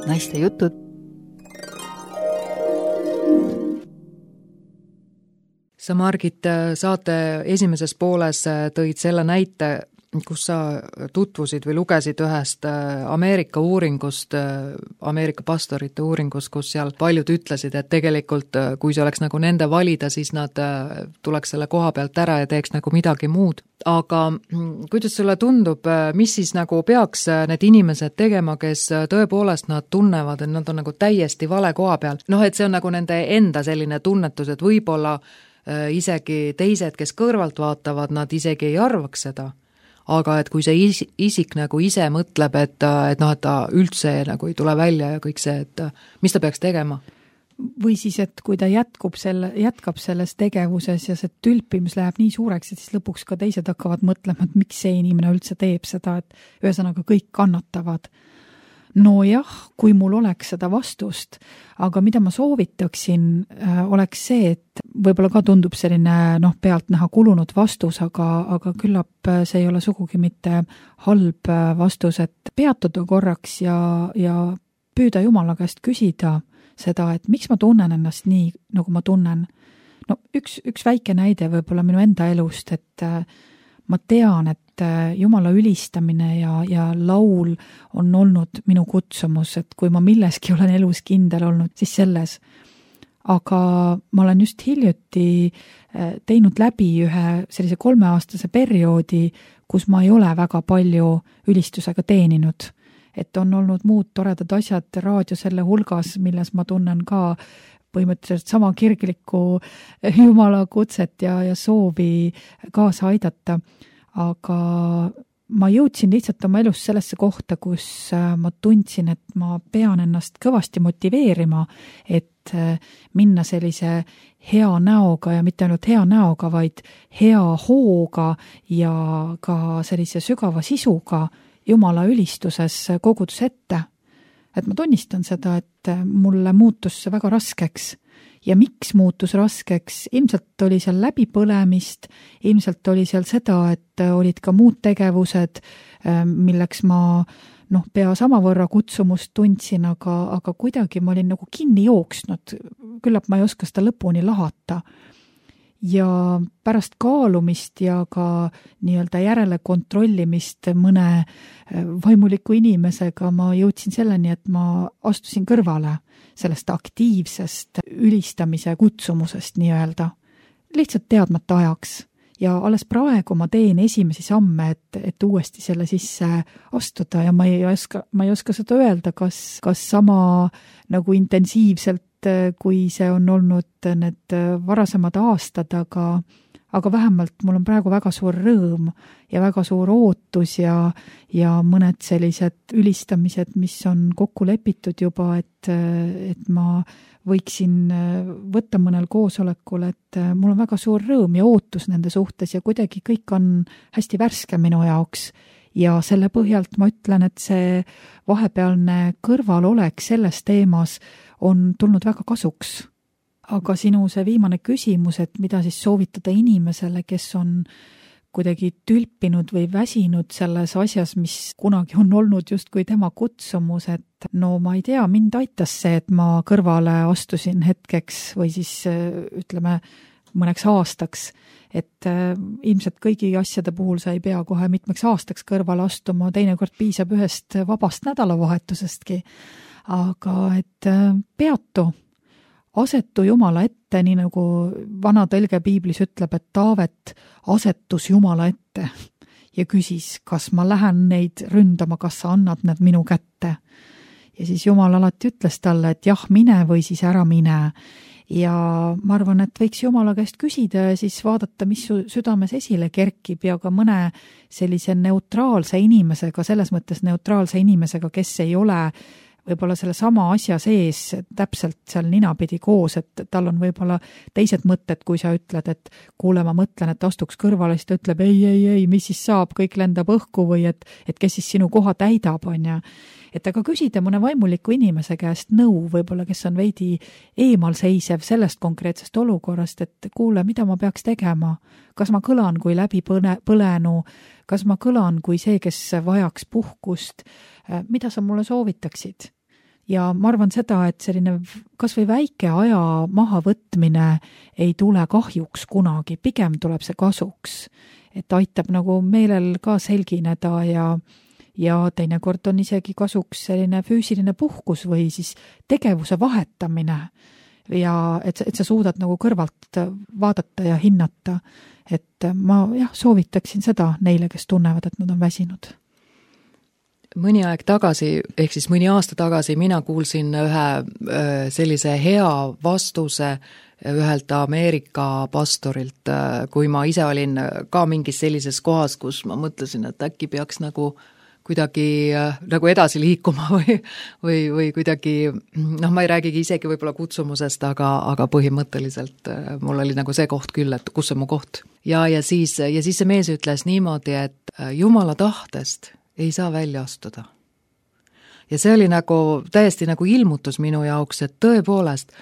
Naiste jutud. Sa, Margit, saate esimeses pooles tõid selle näite, kus sa tutvusid või lugesid ühest Ameerika uuringust, Ameerika pastorite uuringust, kus seal paljud ütlesid, et tegelikult kui see oleks nagu nende valida, siis nad tuleks selle koha pealt ära ja teeks nagu midagi muud. Aga kuidas sulle tundub, mis siis nagu peaks need inimesed tegema, kes tõepoolest nad tunnevad, et nad on nagu täiesti vale koha peal? Noh, et see on nagu nende enda selline tunnetus, et võib-olla isegi teised, kes kõrvalt vaatavad, nad isegi ei arvaks seda. Aga et kui see isik nagu ise mõtleb, et, et, noh, et ta üldse nagu ei tule välja ja kõik see, et mis ta peaks tegema? Või siis, et kui ta jätkub selle, jätkab selles tegevuses ja see tülpimus läheb nii suureks, et siis lõpuks ka teised hakkavad mõtlema, et miks see inimene üldse teeb seda, et ühesõnaga kõik kannatavad. No jah, kui mul oleks seda vastust, aga mida ma soovitaksin, oleks see, et võib-olla ka tundub selline noh, pealt näha kulunud vastus, aga, aga küllap see ei ole sugugi mitte halb vastus, et peatuda korraks ja, ja püüda Jumala käest küsida seda, et miks ma tunnen ennast nii, nagu ma tunnen. No üks, üks väike näide võib-olla minu enda elust, et ma tean, et Jumala ülistamine ja, ja laul on olnud minu kutsumus, et kui ma milleski olen elus kindel olnud, siis selles. Aga ma olen just hiljuti teinud läbi ühe sellise kolmeaastase perioodi, kus ma ei ole väga palju ülistusega teeninud. Et on olnud muud toredad asjad raadio selle hulgas, milles ma tunnen ka põhimõtteliselt sama kirglikku Jumala kutset ja, ja soovi kaasa aidata. Aga ma jõudsin lihtsalt oma elus sellesse kohta, kus ma tundsin, et ma pean ennast kõvasti motiveerima, et minna sellise hea näoga ja mitte ainult hea näoga, vaid hea hooga ja ka sellise sügava sisuga Jumala ülistuses kogudus ette. Et ma tunnistan seda, et mulle muutus see väga raskeks. Ja miks muutus raskeks? Ilmselt oli seal läbipõlemist, ilmselt oli seal seda, et olid ka muud tegevused, milleks ma noh, pea samavõrra kutsumust tundsin, aga, aga kuidagi ma olin nagu kinni jooksnud. Küllap ma ei oska seda lõpuni lahata. Ja pärast kaalumist ja ka nii-öelda järele kontrollimist mõne vaimuliku inimesega ma jõudsin selleni, et ma astusin kõrvale sellest aktiivsest ülistamise kutsumusest nii-öelda. Lihtsalt teadmata ajaks. Ja alles praegu ma teen esimesi samme, et, et uuesti selle sisse astuda ja ma ei oska, ma ei oska seda öelda, kas, kas sama nagu intensiivselt, kui see on olnud need varasemad aastad, aga, aga vähemalt mul on praegu väga suur rõõm ja väga suur ootus ja, ja mõned sellised ülistamised, mis on kokku lepitud juba, et, et ma võiksin võtta mõnel koosolekul, et mul on väga suur rõõm ja ootus nende suhtes ja kuidagi kõik on hästi värske minu jaoks. Ja selle põhjalt ma ütlen, et see vahepealne kõrvalolek selles teemas on tulnud väga kasuks. Aga sinu see viimane küsimus, et mida siis soovitada inimesele, kes on kuidagi tülpinud või väsinud selles asjas, mis kunagi on olnud justkui tema kutsumus, et no ma ei tea, mind aitas see, et ma kõrvale astusin hetkeks või siis ütleme mõneks aastaks, et ilmselt kõigi asjade puhul sa ei pea kohe mitmeks aastaks kõrvale astuma, teinekord piisab ühest vabast nädalavahetusestki. Aga et peatu, asetu Jumala ette, nii nagu vana tõlge piiblis ütleb, et Taavet asetus Jumala ette ja küsis, kas ma lähen neid ründama, kas sa annad need minu kätte. ja siis Jumal alati ütles talle, et jah, mine või siis ära mine. Ja ma arvan, et võiks Jumala käest küsida ja siis vaadata, mis su südames esile kerkib ja ka mõne sellise neutraalse inimesega, selles mõttes neutraalse inimesega, kes ei ole võib-olla selle sama asja sees täpselt seal ninapidi koos, et tal on võib-olla teised mõtted, kui sa ütled, et kuule, ma mõtlen, et astuks kõrvale, siis ta ütleb, ei, ei, ei, mis siis saab, kõik lendab õhku või et, et kes siis sinu koha täidab, on ja et aga küsida mõne vaimuliku inimese käest nõu, võib-olla kes on veidi eemal seisev sellest konkreetsest olukorrast, et kuule, mida ma peaks tegema, kas ma kõlan kui läbi põne, põlenu, kas ma kõlan kui see, kes vajaks puhkust, mida sa mulle soovitaksid? Ja ma arvan seda, et selline kas või väike aja mahavõtmine ei tule kahjuks kunagi, pigem tuleb see kasuks, et aitab nagu meelel ka selgineda ja ja teinekord on isegi kasuks selline füüsiline puhkus või siis tegevuse vahetamine ja et, et sa suudad nagu kõrvalt vaadata ja hinnata, et ma jah, soovitaksin seda neile, kes tunnevad, et nad on väsinud. Mõni aeg tagasi, ehk siis mõni aasta tagasi mina kuulsin ühe sellise hea vastuse ühelt Ameerika pastorilt, kui ma ise olin ka mingis sellises kohas, kus ma mõtlesin, et äkki peaks nagu kuidagi nagu edasi liikuma või, või, või kuidagi, noh, ma ei räägigi isegi võib-olla kutsumusest, aga, aga põhimõtteliselt mul oli nagu see koht küll, et kus on mu koht. Ja, ja, siis, ja siis see mees ütles niimoodi, et Jumala tahtest ei saa välja astuda. Ja see oli nagu täiesti nagu ilmutus minu jaoks, et tõepoolest,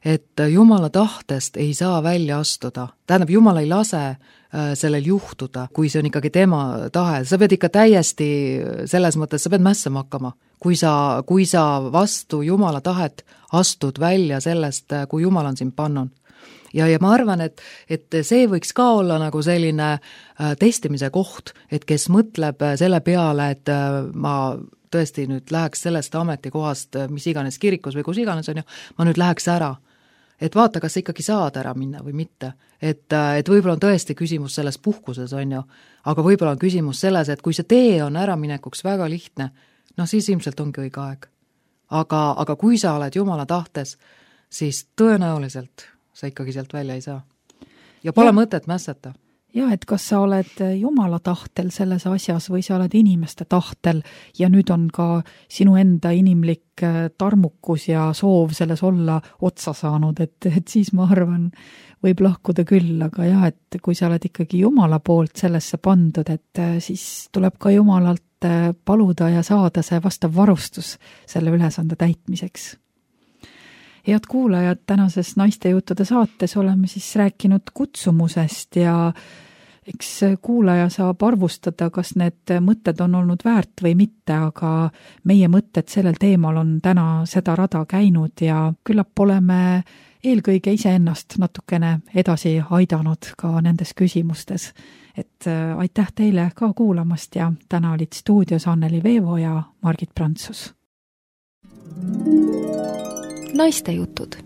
et Jumala tahtest ei saa välja astuda. Tähendab, Jumal ei lase sellel juhtuda, kui see on ikkagi tema tahe. Sa pead ikka täiesti selles mõttes, sa pead mässama hakkama. Kui sa, kui sa vastu Jumala tahet astud välja sellest, kui Jumal on sind pannud. Ja, ja ma arvan, et, et see võiks ka olla nagu selline testimise koht, et kes mõtleb selle peale, et ma tõesti nüüd läheks sellest ametikohast, mis iganes kirikus või kus iganes on ju, ma nüüd läheks ära. Et vaata, kas sa ikkagi saad ära minna või mitte. Et, et võib-olla on tõesti küsimus selles puhkuses, on ju, aga võib-olla on küsimus selles, et kui see tee on äraminekuks väga lihtne, no siis ilmselt ongi õige aeg. Aga, aga kui sa oled Jumala tahtes, siis tõenäoliselt sa ikkagi sealt välja ei saa. Ja pole ja. mõtet mässata. Ja, et kas sa oled Jumala tahtel selles asjas või sa oled inimeste tahtel ja nüüd on ka sinu enda inimlik tarmukus ja soov selles olla otsa saanud, et, et siis ma arvan, võib lahkuda küll, aga jah, et kui sa oled ikkagi Jumala poolt sellesse pandud, et siis tuleb ka Jumalalt paluda ja saada see vastav varustus selle ülesande täitmiseks. Head kuulajad, tänases Naiste juttude saates oleme siis rääkinud kutsumusest ja eks kuulaja saab arvustada, kas need mõtted on olnud väärt või mitte, aga meie mõtted sellel teemal on täna seda rada käinud ja küllap oleme eelkõige iseennast natukene edasi aidanud ka nendes küsimustes. Et aitäh teile ka kuulamast ja täna olid stuudios Anneli Veevo ja Margit Prantsus. Naiste jutud.